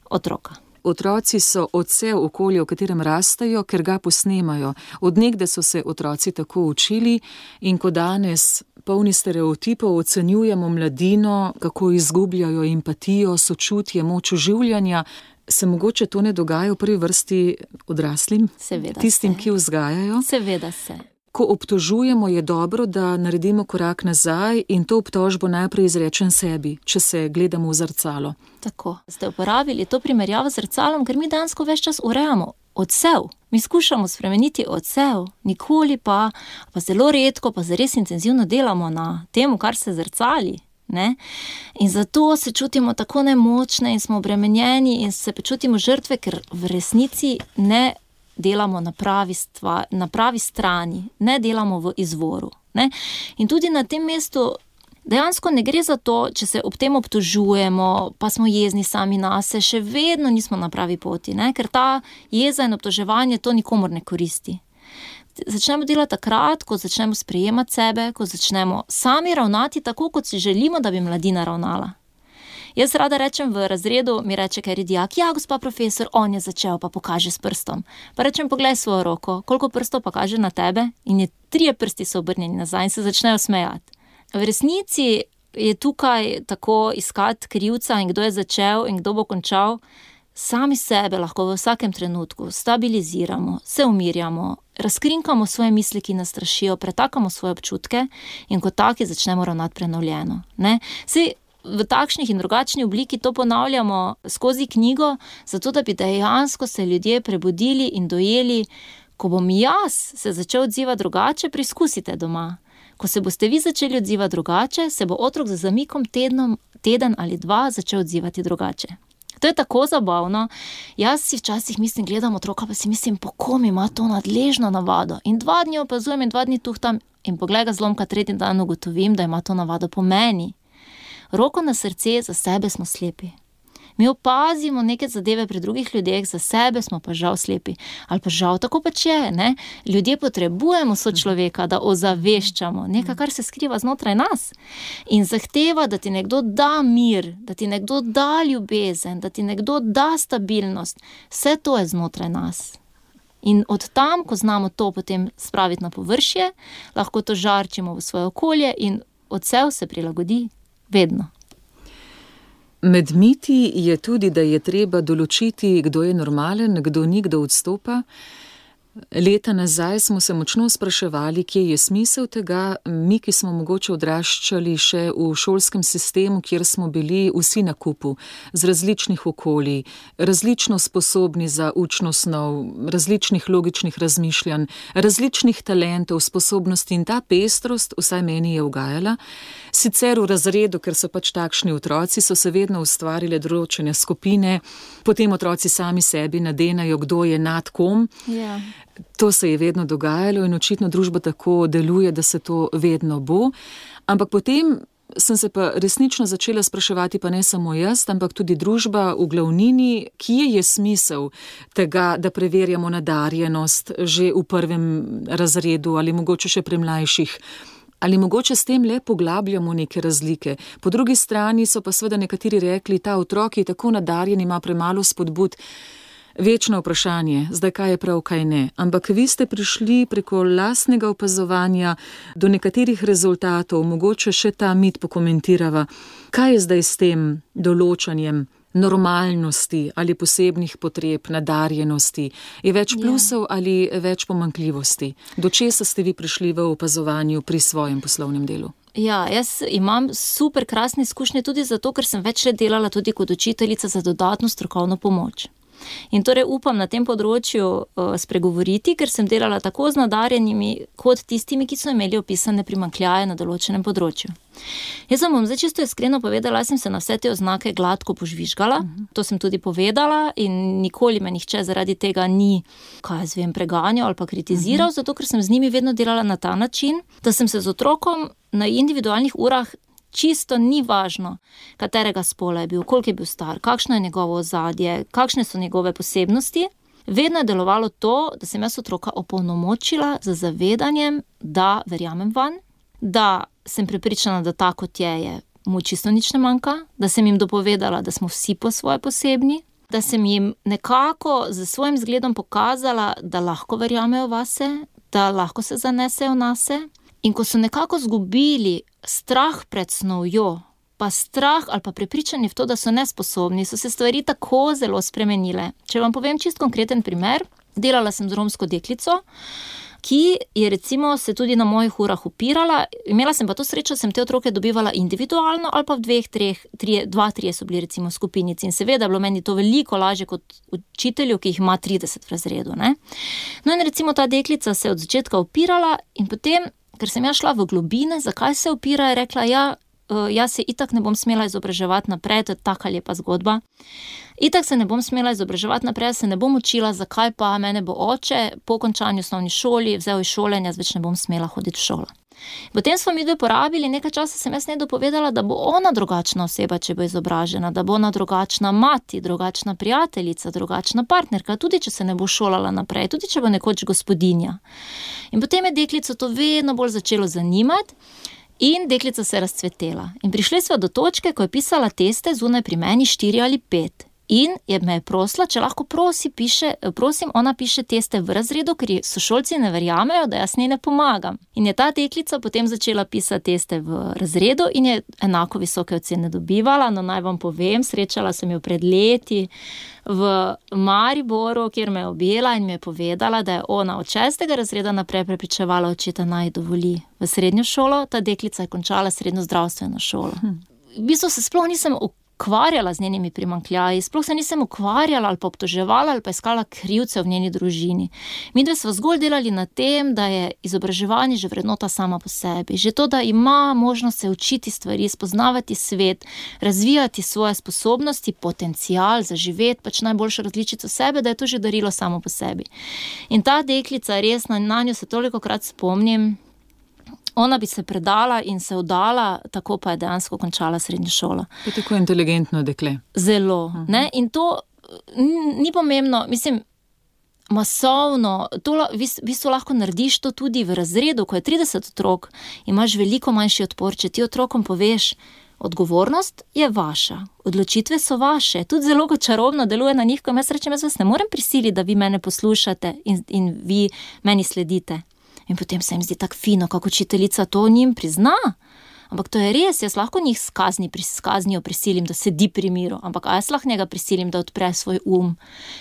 otroka. Otroci so odsev okolja, v katerem rastejo, ker ga posnemajo. Od nekdaj so se otroci tako učili in ko danes polni stereotipov ocenjujemo mladino, kako izgubljajo empatijo, sočutje, moč oživljanja, se mogoče to ne dogaja v prvi vrsti odraslim? Seveda tistim, se. ki vzgajajo? Seveda se. Ko obtožujemo, je dobro, da naredimo korak nazaj in to obtožbo najprej izrečem sebi, če se gledamo v zrcalo. Tako. Ste uporabili to primerjavo z zrcalom, ker mi dansko ves čas urejamo odsev. Mi skušamo spremeniti odsev, nikoli pa, pa zelo redko, pa zares intenzivno delamo na temu, kar se zrcali. Ne? In zato se čutimo tako nemočne in smo obremenjeni in se počutimo žrtve, ker v resnici ne delamo na pravi, stva, na pravi strani, ne delamo v izvoru. Ne? In tudi na tem mestu dejansko ne gre za to, če se ob tem obtožujemo, pa smo jezni sami nase, še vedno nismo na pravi poti, ne? Ker ta jeza in obtoževanje to nikomur ne koristi. Začnemo delati takrat, ko začnemo sprejemati sebe, ko začnemo sami ravnati tako, kot si želimo, da bi mladina ravnala. Jaz rada rečem v razredu, mi reče kateri dijak, ja, gospa profesor, on je začel, pa pokaže s prstom. Pa rečem, poglej svojo roko, koliko prstov pa kaže na tebe in je trije prsti so obrnjeni nazaj in se začnejo smejati. V resnici je tukaj tako iskati krivca in kdo je začel in kdo bo končal. Sami sebe lahko v vsakem trenutku stabiliziramo, se umirjamo, razkrinkamo svoje misli, ki nas strašijo, pretakamo svoje občutke in kot taki začnemo ravnati prenovljeno. Ne? Saj v takšnih in drugačni obliki to ponavljamo skozi knjigo, zato da bi dejansko se ljudje prebudili in dojeli, ko bom jaz se začel odzivati drugače, preizkusite doma. Ko se boste vi začeli odzivati drugače, se bo otrok za zamikom tednom, teden ali dva začel odzivati drugače. To je tako zabavno. Jaz si včasih mislim, gledam otroka, pa si mislim, po kom ima to nadležno navado. In dva dni opazujem in dva dni tuhtam in poglej ga zlomka, tretji dan ugotovim, da ima to navado po meni. Roko na srce, za sebe smo slepi. Mi opazimo neke zadeve pri drugih ljudeh, za sebe smo pa žal slepi. Ali pa žal, tako pač je, ne? Ljudje potrebujemo sočloveka, da ozaveščamo nekaj, kar se skriva znotraj nas. In zahteva, da ti nekdo da mir, da ti nekdo da ljubezen, da ti nekdo da stabilnost. Vse to je znotraj nas. In od tam, ko znamo to potem spraviti na površje, lahko to žarčimo v svoje okolje in odsev se prilagodi vedno. Med miti je tudi, da je treba določiti, kdo je normalen, kdo ni, kdo odstopa. Leta nazaj smo se močno spraševali, kje je smisel tega, mi, ki smo mogoče odraščali še v šolskem sistemu, kjer smo bili vsi na kupu, z različnih okolij, različno sposobni za učno snov, različnih logičnih razmišljanj, različnih talentov, sposobnosti in ta pestrost, vsaj meni je ugajala. Sicer v razredu, ker so pač takšni otroci, so se vedno ustvarile določene skupine, potem otroci sami sebi nadenajo, kdo je nad kom. Ja. To se je vedno dogajalo in očitno družba tako deluje, da se to vedno bo. Ampak potem sem se pa resnično začela spraševati, pa ne samo jaz, ampak tudi družba v glavnini, kje je smisel tega, da preverjamo nadarjenost že v prvem razredu ali mogoče še pri mlajših. Ali mogoče s tem le poglabljamo neke razlike. Po drugi strani so pa seveda nekateri rekli, ta otrok je tako nadarjen, ima premalo spodbud. Večno vprašanje, zdaj kaj je prav, kaj ne. Ampak vi ste prišli preko lastnega opazovanja do nekaterih rezultatov, mogoče še ta mit pokomentirava. Kaj je zdaj s tem določanjem normalnosti ali posebnih potreb, nadarjenosti? Je več plusov ja. ali več pomanjkljivosti? Do česa ste vi prišli v opazovanju pri svojem poslovnem delu? Ja, jaz imam super krasne izkušnje tudi zato, ker sem več let delala tudi kot učiteljica za dodatno strokovno pomoč. In torej upam na tem področju uh, spregovoriti, ker sem delala tako z nadarjenimi, kot tistimi, ki so imeli opisane primanjkljaje na določenem področju. Jaz vam bom zdaj čisto iskreno povedala, jaz sem se na vse te oznake gladko požvižgala, uh-huh. to sem tudi povedala in nikoli me nihče zaradi tega ni, kaj jaz vem, preganjal ali pa kritiziral, uh-huh. zato ker sem z njimi vedno delala na ta način, da sem se z otrokom na individualnih urah čisto ni važno, katerega spola je bil, koliko je bil star, kakšno je njegovo ozadje, kakšne so njegove posebnosti. Vedno je delovalo to, da sem jaz otroka opolnomočila z zavedanjem, da verjamem vanj, da sem prepričana, da ta kot je, je mu čisto nič ne manjka, da sem jim dopovedala, da smo vsi po svoje posebni, da sem jim nekako z svojim zgledom pokazala, da lahko verjamejo vase, da lahko se zanesejo nase. In ko so nekako zgubili strah pred snovjo, pa strah ali pa prepričanje v to, da so nesposobni, so se stvari tako zelo spremenile. Če vam povem čist konkreten primer, delala sem z romsko deklico, ki je recimo se tudi na mojih urah upirala, imela sem pa to srečo, sem te otroke dobivala individualno ali pa v dveh, treh, trije, dva, trije so bili recimo skupinici in seveda je bilo meni to veliko lažje kot učitelju, ki jih ima trideset v razredu, ne. No in recimo ta deklica se je od začetka upirala in potem, ker sem ja šla v globine, zakaj se upira, je rekla, ja, jaz se itak ne bom smela izobraževati naprej, to je taka lepa zgodba. Itak se ne bom smela izobraževati naprej, se ne bom učila, zakaj pa mene bo oče po končanju osnovni šoli vzel iz šole in jaz več ne bom smela hoditi v šolo. Potem smo mi dve porabili, nekaj časa sem jaz njej dopovedala, da bo ona drugačna oseba, če bo izobražena, da bo ona drugačna mati, drugačna prijateljica, drugačna partnerka, tudi če se ne bo šolala naprej, tudi če bo nekoč gospodinja. In potem je deklico to vedno bolj začelo zanimati in deklica se je razcvetela. In prišli smo do točke, ko je pisala teste zunaj pri meni štiri ali pet. In je me je prosila, če lahko prosi, piše, prosim, ona piše teste v razredu, ker sošolci ne verjamejo, da jaz njej ne pomagam. In je ta deklica potem začela pisati teste v razredu in je enako visoke ocene dobivala. No, naj vam povem, srečala sem jo pred leti v Mariboru, kjer me je objela in mi je povedala, da je ona od šestega razreda naprej prepričevala očeta, naj dovoli v srednjo šolo. Ta deklica je končala srednjo zdravstveno šolo. V bistvu se sploh nisem ukvarjala z njenimi primanjkljaji, sploh se nisem ukvarjala ali pa obtoževala ali pa iskala krivce v njeni družini. Mi dve smo zgolj delali na tem, da je izobraževanje že vrednota sama po sebi. Že to, da ima možnost se učiti stvari, spoznavati svet, razvijati svoje sposobnosti, potencial, zaživeti pač najboljšo različico sebe, da je to že darilo samo po sebi. In ta deklica, res na, na njo se tolikokrat spomnim, ona bi se predala in se vdala, tako pa je dejansko končala srednjo šolo. Je tako inteligentno dekle. Zelo, uh-huh. ne, in to ni pomembno, mislim, masovno, to v bistvu lahko narediš to tudi v razredu, ko je trideset otrok, imaš veliko manjši odpor, če ti otrokom poveš, odgovornost je vaša, odločitve so vaše, tudi zelo čarobno deluje na njih, ko jaz rečem, jaz vas ne morem prisiliti, da vi mene poslušate in, in vi meni sledite. In potem se jim zdi tako fino, kako učiteljica to njim prizna. Ampak to je res, jaz lahko njih skazni, skaznijo prisilim, da sedi pri miru, ampak a jaz lahko njega prisilim, da odpre svoj um,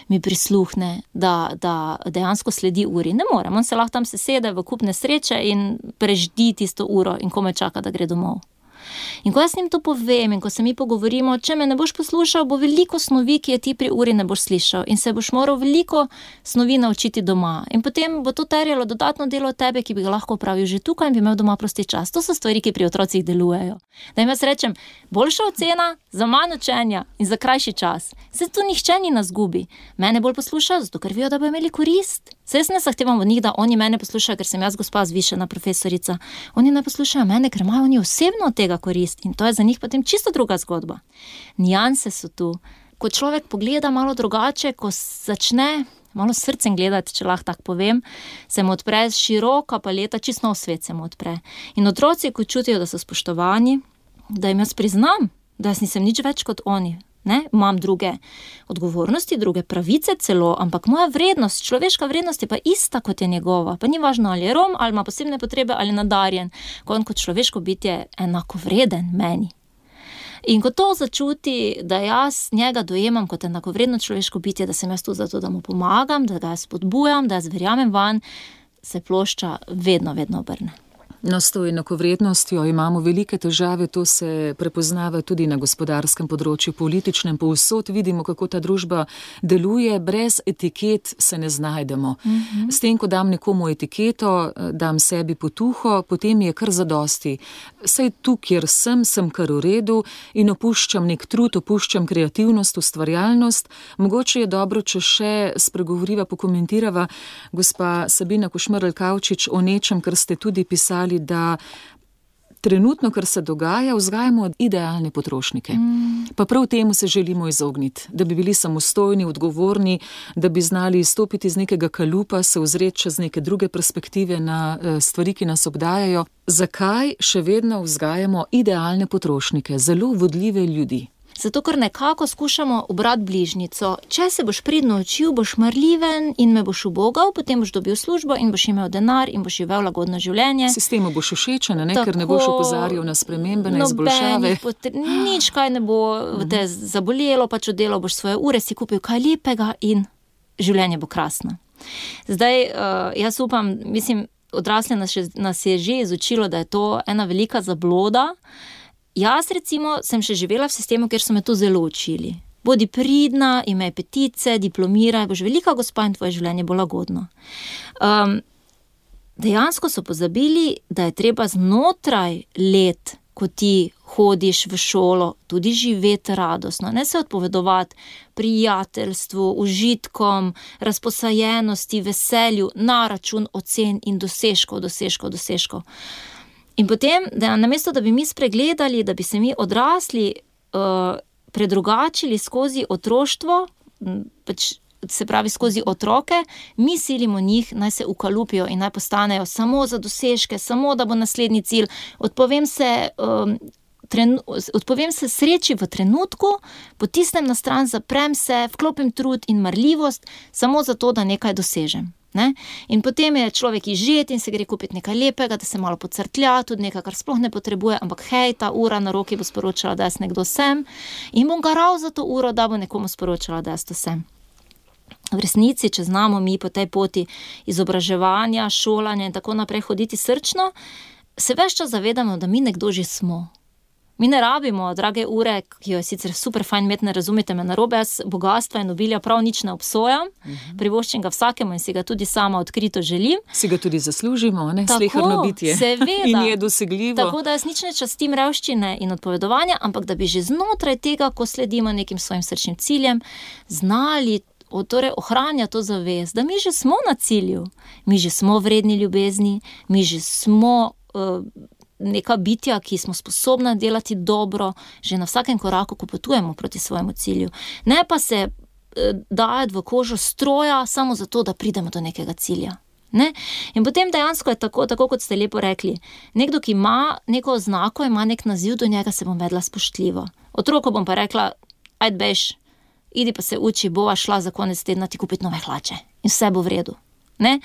mi prisluhne, da, da dejansko sledi uri. Ne morem, on se lahko tam sesede v kup nesreče in preždi tisto uro in komaj čaka, da gre domov. In ko jaz njim to povem in ko se mi pogovorimo, če me ne boš poslušal, bo veliko snovi, ki je ti pri uri ne boš slišal in se boš moral veliko snovi naučiti doma. In potem bo to terjalo dodatno delo od tebe, ki bi ga lahko opravil že tukaj in bi imel doma prosti čas. To so stvari, ki pri otrocih delujejo. Da jim jaz rečem, boljša ocena za manj učenja in za krajši čas. Se tu nihče ni na zgubi. Mene bolj poslušajo, zato ker vijo, da bo imeli korist. Se jaz ne zahtevam od njih, da oni mene poslušajo, ker sem jaz gospa zvišena profesorica. Oni ne poslušajo mene, ker imajo oni osebno od tega korist in to je za njih potem čisto druga zgodba. Nijanse so tu. Ko človek pogleda malo drugače, ko začne malo s srcem gledati, če lahko tako povem, se mu odpre široka paleta, čisto nov svet se mu odpre. In otroci, ko čutijo, da so spoštovani, da jim jaz priznam, da jaz nisem nič več kot oni. Ne? Imam druge odgovornosti, druge pravice celo, ampak moja vrednost, človeška vrednost je pa ista kot je njegova. Pa ni važno, ali je Rom, ali ima posebne potrebe, ali nadarjen. Ko on kot človeško bitje enako vreden meni. In ko to začuti, da jaz njega dojemam kot enakovredno človeško bitje, da sem jaz tu zato, da mu pomagam, da ga spodbujam, da jaz verjamem van, se plošča vedno, vedno obrne. No, s to enakovrednostjo imamo velike težave, to se prepoznava tudi na gospodarskem področju, političnem, povsod vidimo, kako ta družba deluje, brez etiket se ne znajdemo. Mm-hmm. S tem, ko dam nekomu etiketo, dam sebi potuho, potem je kar zadosti. Saj tu, kjer sem, sem kar v redu in opuščam nek trud, opuščam kreativnost, ustvarjalnost. Mogoče je dobro, če še spregovoriva, pokomentirava gospa Sabina Košmerl Kavčič o nečem, kar ste tudi pisali, da trenutno, kar se dogaja, vzgajamo idealne potrošnike. Mm. Pa prav temu se želimo izogniti, da bi bili samostojni, odgovorni, da bi znali izstopiti iz nekega kalupa, se ozreti čez neke druge perspektive na stvari, ki nas obdajajo. Zakaj še vedno vzgajamo idealne potrošnike, zelo vodljive ljudi? Zato, ker nekako skušamo ubrati bližnico. Če se boš pridno učil, boš marljiven in me boš ubogal, potem boš dobil službo in boš imel denar in boš živel lagodno življenje. Sistemu boš všečen, ne? Ker ne boš opozarjal na spremembe, na izboljšave. Potre... Nič kaj ne bo te zabolelo, pač oddelal boš svoje ure, si kupil kaj lepega in življenje bo krasno. Zdaj, jaz upam, mislim, odrasle nas, nas je že izučilo, da je to ena velika zabloda. Jaz recimo sem še živela v sistemu, kjer so me to zelo učili. Bodi pridna, imej petice, diplomiraj, boš velika gospa in tvoje življenje bo lagodno. Um, dejansko so pozabili, da je treba znotraj let, ko ti hodiš v šolo, tudi živeti radostno, ne se odpovedovati prijateljstvu, užitkom, razposajenosti, veselju, na račun ocen in dosežkov, dosežkov, dosežkov. In potem, da namesto, da bi mi spregledali, da bi se mi odrasli uh, predrugačili skozi otroštvo, pač, se pravi skozi otroke, mi silimo njih, naj se ukalupijo in naj postanejo samo za dosežke, samo da bo naslednji cilj. Odpovem se, um, tren, odpovem se sreči v trenutku, potisnem na stran, zaprem se, vklopim trud in marljivost, samo zato, da nekaj dosežem. Ne? In potem je človek izžet in se gre kupiti nekaj lepega, da se malo pocrtlja, tudi nekaj, kar sploh ne potrebuje, ampak hej, ta ura na roki bo sporočala, da jaz nekdo sem in bom garal za to uro, da bo nekomu sporočala, da jaz to sem. V resnici, če znamo mi po tej poti izobraževanja, šolanja in tako naprej hoditi srčno, se ves čas zavedamo, da mi nekdo že smo. Mi ne rabimo drage ure, ki jo je sicer super fajn imeti, ne razumete me narobe, jaz bogatstva in obilja prav nič ne obsojam, uh-huh. privoščim ga vsakemu in si ga tudi sama odkrito želim. Si ga tudi zaslužimo, ne? Sleherno bitje. Seveda. In je dosegljivo. Tako da jaz nič ne častim revščine in odpovedovanja, ampak da bi že znotraj tega, ko sledimo nekim svojim srčnim ciljem, znali torej ohranjati to zavest, da mi že smo na cilju, mi že smo vredni ljubezni, mi že smo uh, neka bitja, ki smo sposobna delati dobro, že na vsakem koraku, ko potujemo proti svojemu cilju. Ne pa se eh, dajati v kožo stroja samo zato, da pridemo do nekega cilja. Ne? In potem dejansko je tako, tako kot ste lepo rekli, nekdo, ki ima neko oznako, ima nek naziv, do njega se bom vedla spoštljivo. Otroku bom pa rekla, ajde bež, idi pa se uči, bova šla za konec tedna ti kupiti nove hlače in vse bo v redu. Ne?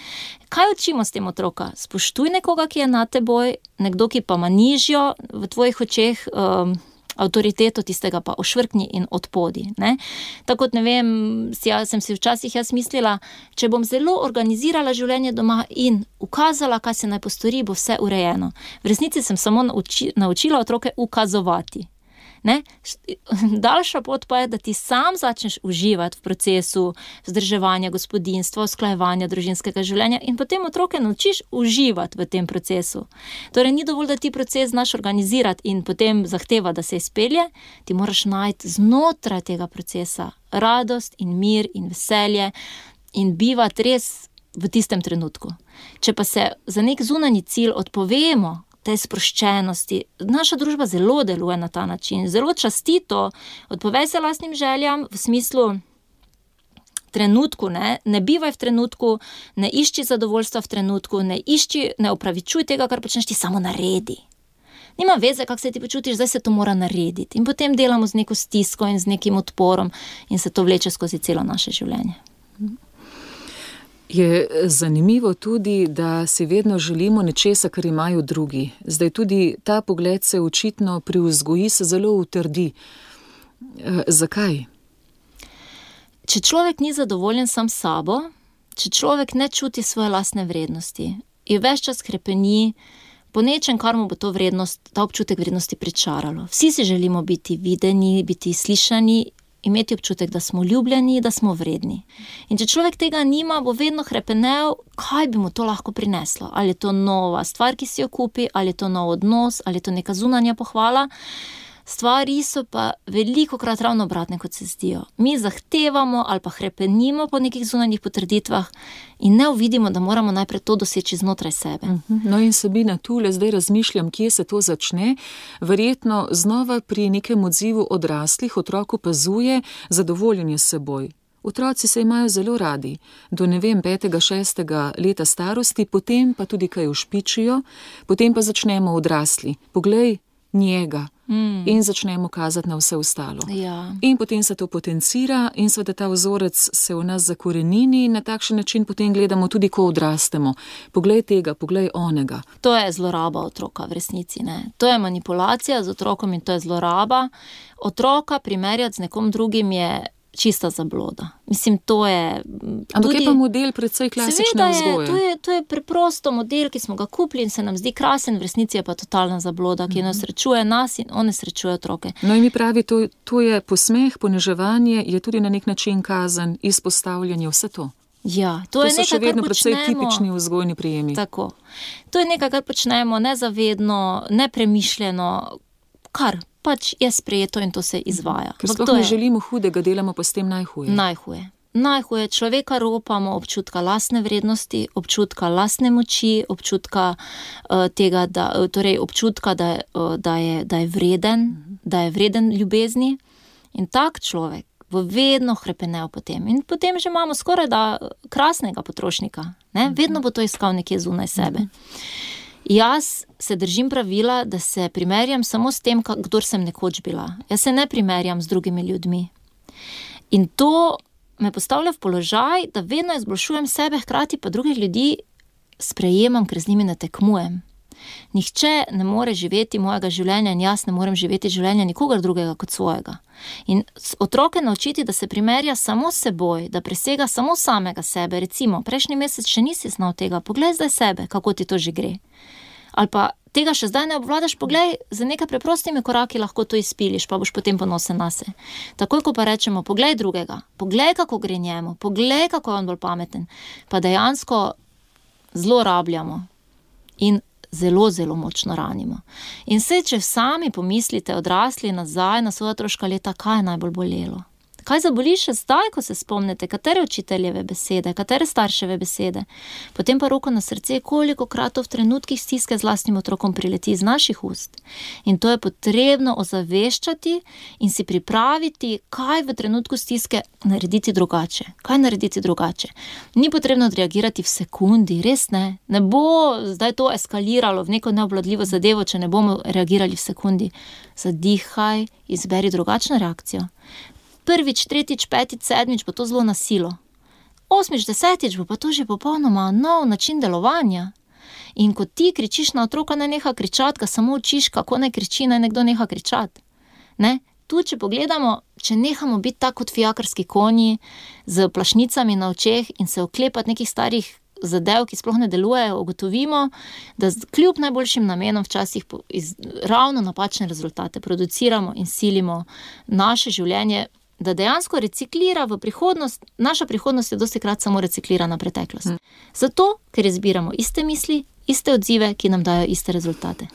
Kaj učimo s tem otroka? Spoštuj nekoga, ki je na teboj, nekdo, ki pa ima nižjo v tvojih očeh um, avtoriteto, tistega pa ošvrkni in odpodi. Ne? Tako, ne vem, jaz sem si včasih jaz mislila, če bom zelo organizirala življenje doma in ukazala, kaj se naj postori, bo vse urejeno. V resnici sem samo nauči, naučila otroke ukazovati. Ne? Daljša pot pa je, da ti sam začneš uživati v procesu vzdrževanja gospodinjstva, usklajevanja družinskega življenja in potem otroke naučiš uživati v tem procesu. Torej, ni dovolj, da ti proces znaš organizirati in potem zahteva, da se izpelje, ti moraš najti znotraj tega procesa radost in mir in veselje in bivati res v tistem trenutku. Če pa se za nek zunanji cilj odpovemo, te sproščenosti. Naša družba zelo deluje na ta način, zelo častito, odpovej se lastnim željam v smislu trenutku, ne, ne bivaj v trenutku, ne išči zadovoljstva v trenutku, ne išči, ne opravičuj tega, kar počneš, ti samo naredi. Nima veze, kako se ti počutiš, zdaj se to mora narediti. In potem delamo z neko stisko in z nekim odporom in se to vleče skozi celo naše življenje. Je zanimivo tudi, da si vedno želimo nečesa, kar imajo drugi. Zdaj tudi ta pogled se očitno pri vzgoji se zelo utrdi. E, zakaj? Če človek ni zadovoljen sam s sabo, če človek ne čuti svoje lastne vrednosti, je ves čas krepeni po nečem, kar mu bo to vrednost, ta občutek vrednosti pričaralo. Vsi si želimo biti videni, biti slišani, imeti občutek, da smo ljubljeni, da smo vredni. In če človek tega nima, bo vedno hrepenel, kaj bi mu to lahko prineslo. Ali je to nova stvar, ki si jo kupi, ali je to nov odnos, ali je to neka zunanja pohvala. Stvari so pa velikokrat ravno obratne, kot se zdijo. Mi zahtevamo ali pa hrepenimo po nekih zunanjih potrditvah in ne uvidimo, da moramo najprej to doseči znotraj sebe. No in Sabina, tule zdaj razmišljam, kje se to začne. Verjetno znova pri nekem odzivu odraslih otrok opazuje zadovoljenje s seboj. Otroci se imajo zelo radi, do ne vem, petega, šestega leta starosti, potem pa tudi kaj ušpičijo, potem pa začnemo odrasli. Poglej njega. Mm. In začnemo kazati na vse ostalo. Ja. In potem se to potencira in seveda ta vzorec se v nas zakorenini in na takšen način potem gledamo tudi, ko odrastemo. Poglej tega, poglej onega. To je zloraba otroka v resnici, ne. To je manipulacija z otrokom in to je zloraba. Otroka primerjati z nekom drugim je čista zabloda. Mislim, to je... Ampak tudi, je pa model precej klasične vzgoje. To je, to je preprosto model, ki smo ga kupili in se nam zdi krasen, v resnici je pa totalna zabloda, ki nas srečuje nas in one srečuje otroke. No in mi pravi, to, to je posmeh, poniževanje, je tudi na nek način kazen, izpostavljanje, vse to. Ja, to, to je so nekaj, še vedno kar precej počnemo, tipični vzgojni prijemi. Tako. To je nekaj, kar počnemo nezavedno, nepremišljeno, kar pač je sprejeto in to se izvaja. Ker sploh ne želimo hudega, delamo pa s tem najhuje. Najhuje. Najhuje. Človeka ropamo občutka lastne vrednosti, občutka lastne moči, občutka uh, tega, da, torej občutka, da, uh, da, je, da je vreden, uh-huh. da je vreden ljubezni. In tak človek bo vedno hrepenel potem. In potem že imamo skoraj da krasnega potrošnika. Ne? Vedno bo to iskal nekje zunaj sebe. Uh-huh. Jaz se držim pravila, da se primerjam samo s tem, kdor sem nekoč bila. Jaz se ne primerjam z drugimi ljudmi. In to me postavlja v položaj, da vedno izboljšujem sebe, hkrati pa drugih ljudi sprejemam, ker z njimi ne tekmujem. Nihče ne more živeti mojega življenja in jaz ne morem živeti življenja nikogar drugega kot svojega. In otroke naučiti, da se primerja samo s seboj, da presega samo samega sebe. Recimo, prejšnji mesec še nisi znal tega, poglej zdaj sebe, kako ti to že gre. Ali pa tega še zdaj ne obvladaš, poglej, za nekaj preprostimi koraki lahko to izpiliš, pa boš potem ponosen nase. Takoj, ko pa rečemo, poglej drugega, poglej, kako gre njemu, poglej, kako je on bolj pameten, pa dejansko zlorabljamo in zelo, zelo močno ranimo. In se, če sami pomislite odrasli nazaj na svoja otroška leta, kaj je najbolj bolelo? Kaj zaboli še zdaj, ko se spomnite, katere učiteljeve besede, katere starševe besede? Potem pa roko na srce, koliko krat to v trenutkih stiske z lastnim otrokom prileti iz naših ust. In to je potrebno ozaveščati in si pripraviti, kaj v trenutku stiske narediti drugače. Kaj narediti drugače? Ni potrebno odreagirati v sekundi, res ne. Ne bo zdaj to eskaliralo v neko neobvladljivo zadevo, če ne bomo reagirali v sekundi. Zadihaj, izberi drugačno reakcijo. Prvič, tretjič, petič, sedmič bo to zelo na silo. Osmič, desetič bo pa to že popolnoma nov način delovanja. In ko ti kričiš na otroka, ne neha kričati, ga samo učiš, kako ne kriči, ne nekdo neha kričati. Ne? Tu, če pogledamo, če nehamo biti tako kot fijakarski konji, z plašnicami na očeh in se oklepati nekih starih zadev, ki sploh ne delujejo, ugotovimo, da kljub najboljšim namenom včasih iz ravno napačne rezultate produciramo in silimo naše življenje, da dejansko reciklira v prihodnost, naša prihodnost je dostikrat samo reciklirana preteklost. Hmm. Zato, ker izbiramo iste misli, iste odzive, ki nam dajo iste rezultate.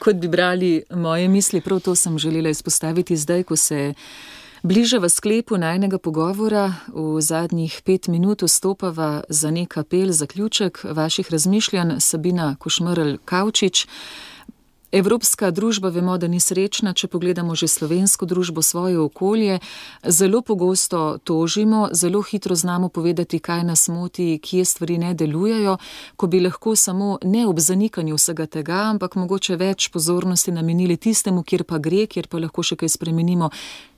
Kot bi brali moje misli, prav to sem želela izpostaviti zdaj, ko se bliža v sklepu najnega pogovora, v zadnjih pet minut vstopava za nek apel, zaključek vaših razmišljanj, Sabina Košmerl-Kavčič. Evropska družba, vemo, da ni srečna, če pogledamo že slovensko družbo, svoje okolje. Zelo pogosto tožimo, zelo hitro znamo povedati, kaj nas moti, kje stvari ne delujejo, ko bi lahko samo ne ob zanikanju vsega tega, ampak mogoče več pozornosti namenili tistemu, kjer pa gre, kjer pa lahko še kaj spremenimo.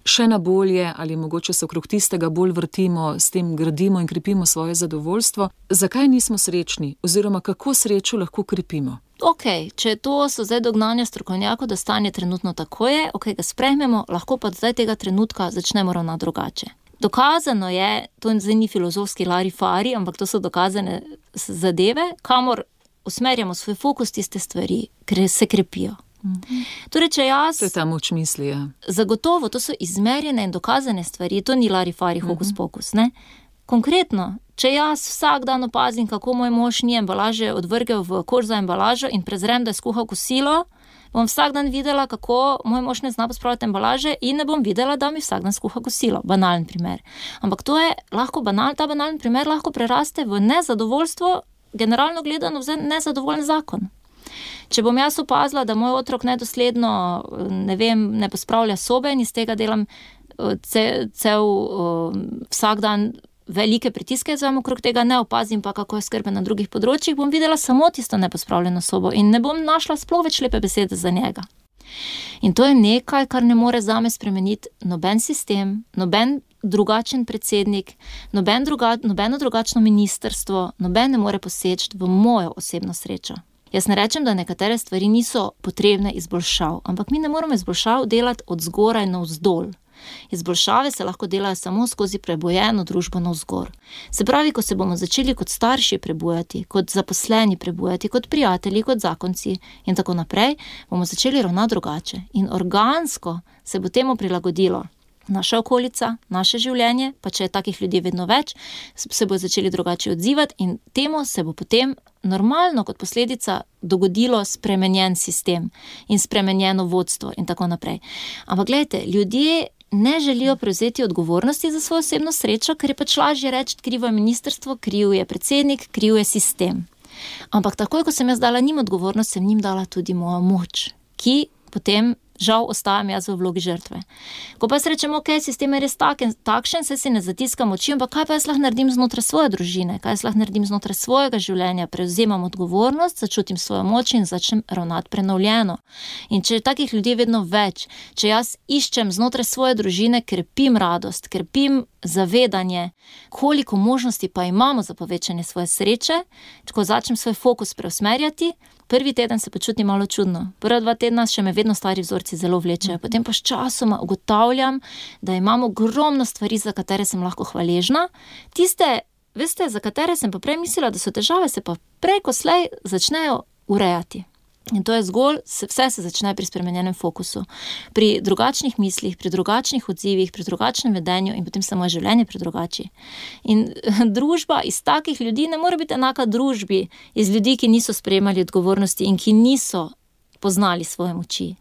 še na bolje ali mogoče se okrog tistega bolj vrtimo, s tem gradimo in krepimo svoje zadovoljstvo. Zakaj nismo srečni oziroma kako srečo lahko krepimo? Ok, če to so zdaj dognanja strokovnjakov, da stanje trenutno tako je, ok, ga sprejmemo, lahko pa zdaj tega trenutka začnemo ravnati drugače. Dokazano je, to zdaj ni filozofski larifari, ampak to so dokazane zadeve, kamor usmerjamo svoj fokus, tiste stvari, ker se krepijo. Mm-hmm. Torej, če jaz... To je ta moč misli, ja. Zagotovo, to so izmerjene in dokazane stvari, to ni larifari hokus pokus, ne? Konkretno, če jaz vsak dan opazim, kako moj mož ni embalaže odvrgel v koš za embalažo in prezrem, da je skuhal kosilo, bom vsak dan videla, kako moj mož ne zna pospravljati embalaže in ne bom videla, da mi vsak dan skuha kosilo. Banalen primer. Ampak to je lahko banal, ta banalen primer lahko preraste v nezadovoljstvo, generalno gledano v nezadovoljen zakon. Če bom jaz opazila, da moj otrok nedosledno, ne vem, ne pospravlja sobe in iz tega delam cel, cel vsak dan velike pritiske, zvem okrog tega, ne opazim pa, kako je skrben na drugih področjih, bom videla samo tisto nepospravljeno sobo in ne bom našla sploh več lepe besede za njega. In to je nekaj, kar ne more zame spremeniti noben sistem, noben drugačen predsednik, noben druga, nobeno drugačno ministrstvo, noben ne more poseči v mojo osebno srečo. Jaz ne rečem, da nekatere stvari niso potrebne izboljšav, ampak mi ne moramo izboljšav delati od zgoraj navzdol. Izboljšave se lahko delajo samo skozi prebujeno družbo navzgor. Se pravi, ko se bomo začeli kot starši prebujati, kot zaposleni prebujati, kot prijatelji, kot zakonci in tako naprej, bomo začeli ravnati drugače. In organsko se bo temu prilagodilo naša okolica, naše življenje, pa če je takih ljudi vedno več, se bo začeli drugače odzivati in temu se bo potem normalno kot posledica dogodilo spremenjen sistem in spremenjeno vodstvo in tako naprej. Ampak gledajte, ljudje ne želijo prevzeti odgovornosti za svojo osebno srečo, ker je pač lažje reči, krivo je ministrstvo, kriv je predsednik, kriv je sistem. Ampak takoj, ko sem jaz dala njim odgovornost, sem njim dala tudi mojo moč, ki potem žal ostajam jaz v vlogi žrtve. Ko pa jaz rečem, ok, sistem je res taken, takšen, se si ne zatiskam oči, ampak kaj pa jaz lahko naredim znotraj svoje družine, kaj jaz lahko naredim znotraj svojega življenja, prevzemam odgovornost, začutim svojo moč in začnem ravnati prenovljeno. In če je takih ljudi vedno več, če jaz iščem znotraj svoje družine, krepim radost, krepim zavedanje, koliko možnosti pa imamo za povečanje svoje sreče, ko začnem svoj fokus preusmerjati, prvi teden se počutim malo čudno. Prva dva tedna še me vedno stari vzorci zelo vlečejo. Potem pa s časoma ugotavljam, da imam ogromno stvari, za katere sem lahko hvaležna. Tiste, veste, za katere sem pa prej mislila, da so težave, se pa prej ko slej začnejo urejati. In to je zgolj, vse se začne pri spremenjenem fokusu. Pri drugačnih mislih, pri drugačnih odzivih, pri drugačnem vedenju in potem se moje življenje predrugači. In družba iz takih ljudi ne more biti enaka družbi iz ljudi, ki niso sprejemali odgovornosti in ki niso poznali svoje moči.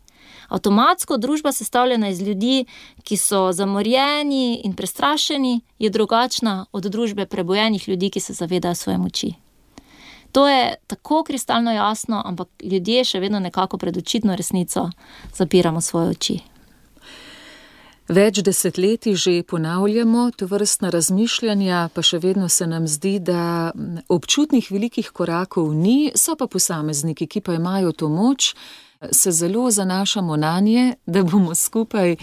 Avtomatsko družba sestavljena iz ljudi, ki so zamorjeni in prestrašeni, je drugačna od družbe prebojenih ljudi, ki se zavedajo svoje moči. To je tako kristalno jasno, ampak ljudje še vedno nekako pred očitno resnico zapiramo svoje oči. Več desetletij že ponavljamo tovrstna razmišljanja, pa še vedno se nam zdi, da občutnih velikih korakov ni, so pa posamezniki, ki pa imajo to moč, se zelo zanašamo nanje, da bomo skupaj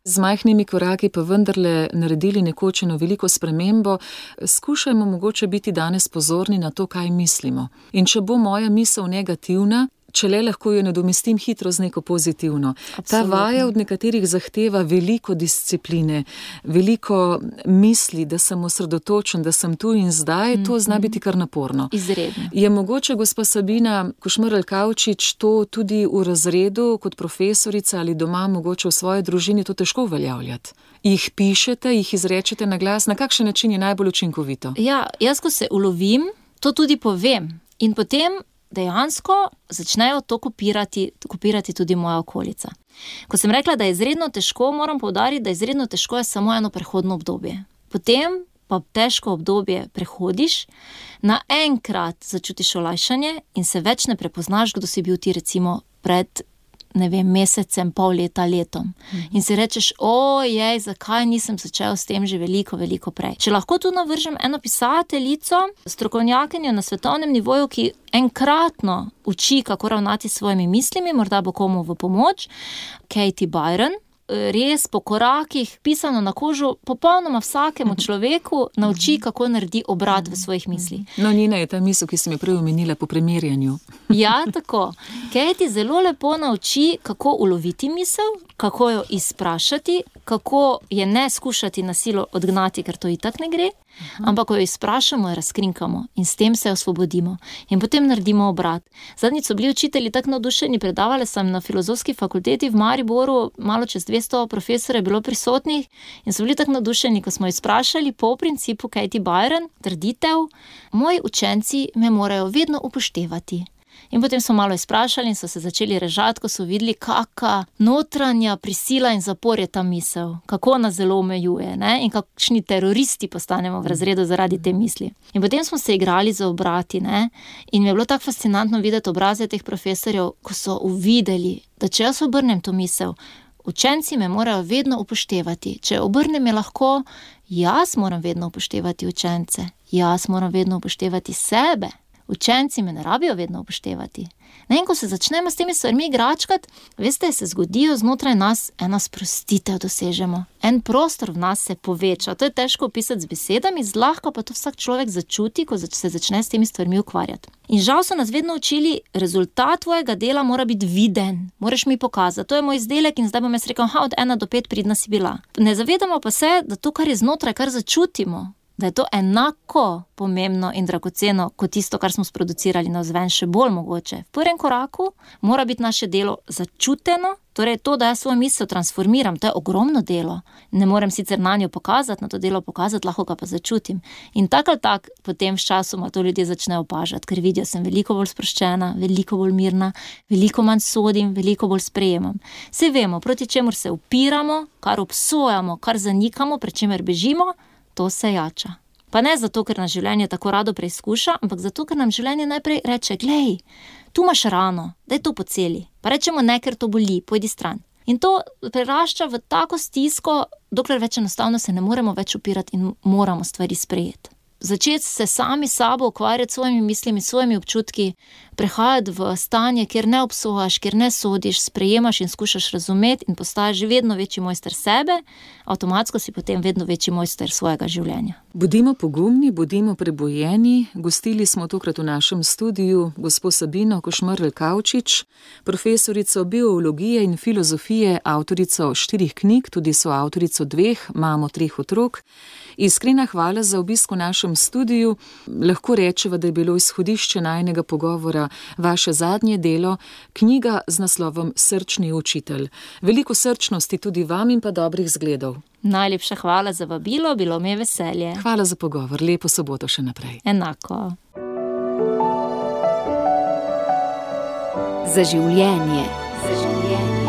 z majhnimi koraki pa vendarle naredili nekoč eno veliko spremembo. Skušajmo mogoče biti danes pozorni na to, kaj mislimo. In če bo moja misel negativna, če le lahko jo nadomestim hitro z neko pozitivno. Absolutno. Ta vaja od nekaterih zahteva veliko discipline, veliko misli, da sem osredotočen, da sem tu in zdaj, mm-hmm. to zna biti kar naporno. Izredno. Je mogoče, gospa Sabina Košmerl-Kavčič, to tudi v razredu kot profesorica ali doma mogoče v svoji družini to težko uveljavljati? Jih pišete, jih izrečete na glas, na kakšen način je najbolj učinkovito? Ja, jaz ko se ulovim, to tudi povem in potem dejansko začnejo to kopirati, kopirati tudi moja okolica. Ko sem rekla, da je izredno težko, moram poudariti, da izredno težko je samo eno prehodno obdobje. Potem pa težko obdobje prehodiš, naenkrat začutiš olajšanje in se več ne prepoznaš, kdo si bil ti recimo pred ne vem, mesecem, pol leta, letom. Mm-hmm. In si rečeš, ojej, zakaj nisem začel s tem že veliko, veliko prej. Če lahko tu navržem eno pisateljico, strokovnjakinjo na svetovnem nivoju, ki enkratno uči, kako ravnati s svojimi mislimi, morda bo komu v pomoč, Katie Byron. res po korakih, pisano na kožo, popolnoma vsakemu človeku nauči, kako naredi obrat v svojih mislih. No, Nina, je ta misel, ki sem jo prej omenila po primerjanju. Ja, tako. Katie zelo lepo nauči, kako uloviti misel, kako jo izprašati, kako je ne skušati na silo odgnati, ker to itak ne gre, ampak ko jo izprašamo, jo razkrinkamo in s tem se osvobodimo. In potem naredimo obrat. Zadnjič so bili učitelji tako navdušeni, predavali sem na Filozofski fakulteti v Mariboru, malo čez dvesto profesorjev je bilo prisotnih in so bili tako navdušeni, ko smo izprašali po principu Katie Byron, trditev, moji učenci me morajo vedno upoštevati. In potem smo malo izprašali in so se začeli režati, ko so videli, kaka notranja prisila in zapor je ta misel, kako nas zelo omejuje, ne? In kakšni teroristi postanemo v razredu zaradi te misli. In potem smo se igrali za obrati, ne? In mi je bilo tako fascinantno videti obraze teh profesorjev, ko so uvideli, da če jaz obrnem to misel, učenci me morajo vedno upoštevati. Če obrnem je lahko, jaz moram vedno upoštevati učence, jaz moram vedno upoštevati sebe. Učenci me ne rabijo vedno upoštevati. Ne, in ko se začnemo s temi stvarmi igračkati, veste, se zgodijo znotraj nas ena sprostitev dosežemo. En prostor v nas se poveča. To je težko opisati z besedami, zlahka pa to vsak človek začuti, ko se začne s temi stvarmi ukvarjati. In žal so nas vedno učili, rezultat tvojega dela mora biti viden. Moraš mi pokazati, to je moj izdelek in zdaj bom jaz rekel, ha, od ena do pet pridna si bila. Ne zavedamo pa se, da to, kar je znotraj, kar začutimo, da je to enako pomembno in dragoceno kot tisto, kar smo sproducirali navzven, še bolj mogoče. V prvem koraku mora biti naše delo začuteno, torej to, da jaz svojo misel transformiram, to je ogromno delo. Ne morem sicer na njo pokazati, na to delo pokazati, lahko ga pa začutim. In tak ali tak potem s časoma to ljudje začnejo opažati, ker vidijo, sem veliko bolj sproščena, veliko bolj mirna, veliko manj sodim, veliko bolj sprejemam. Saj vemo, proti čemur se upiramo, kar obsojamo, kar zanikamo, pred čemer bežimo, to se jača. Pa ne zato, ker nas življenje tako rado preizkuša, ampak zato, ker nam življenje najprej reče, glej, tu imaš rano, daj to poceli. Pa rečemo ne, ker to boli, pojdi stran. In to prerašča v tako stisko, dokler več enostavno se ne moremo več upirati in moramo stvari sprejeti. Začeti se sami sabo ukvarjati svojimi mislimi, svojimi občutki, prehajati v stanje, kjer ne obsojaš, kjer ne sodiš, sprejemaš in skušaš razumeti in postaješ vedno večji mojster sebe, avtomatsko si potem vedno večji mojster svojega življenja. Bodimo pogumni, bodimo prebujeni. Gostili smo tokrat v našem studiu gospo Sabino Košmerl Kavčič, profesorico biologije in filozofije, avtorico štirih knjig, tudi soavtorico dveh, mamo treh otrok. Iskrena hvala za obisk v našem studiu. Lahko rečeva, da je bilo izhodišče najinega pogovora vaše zadnje delo, knjiga z naslovom Srčni učitelj. Veliko srčnosti tudi vam in pa dobrih zgledov. Najlepša hvala za vabilo, bilo mi je veselje. Hvala za pogovor, lepo soboto še naprej. Enako. Za življenje. Za življenje.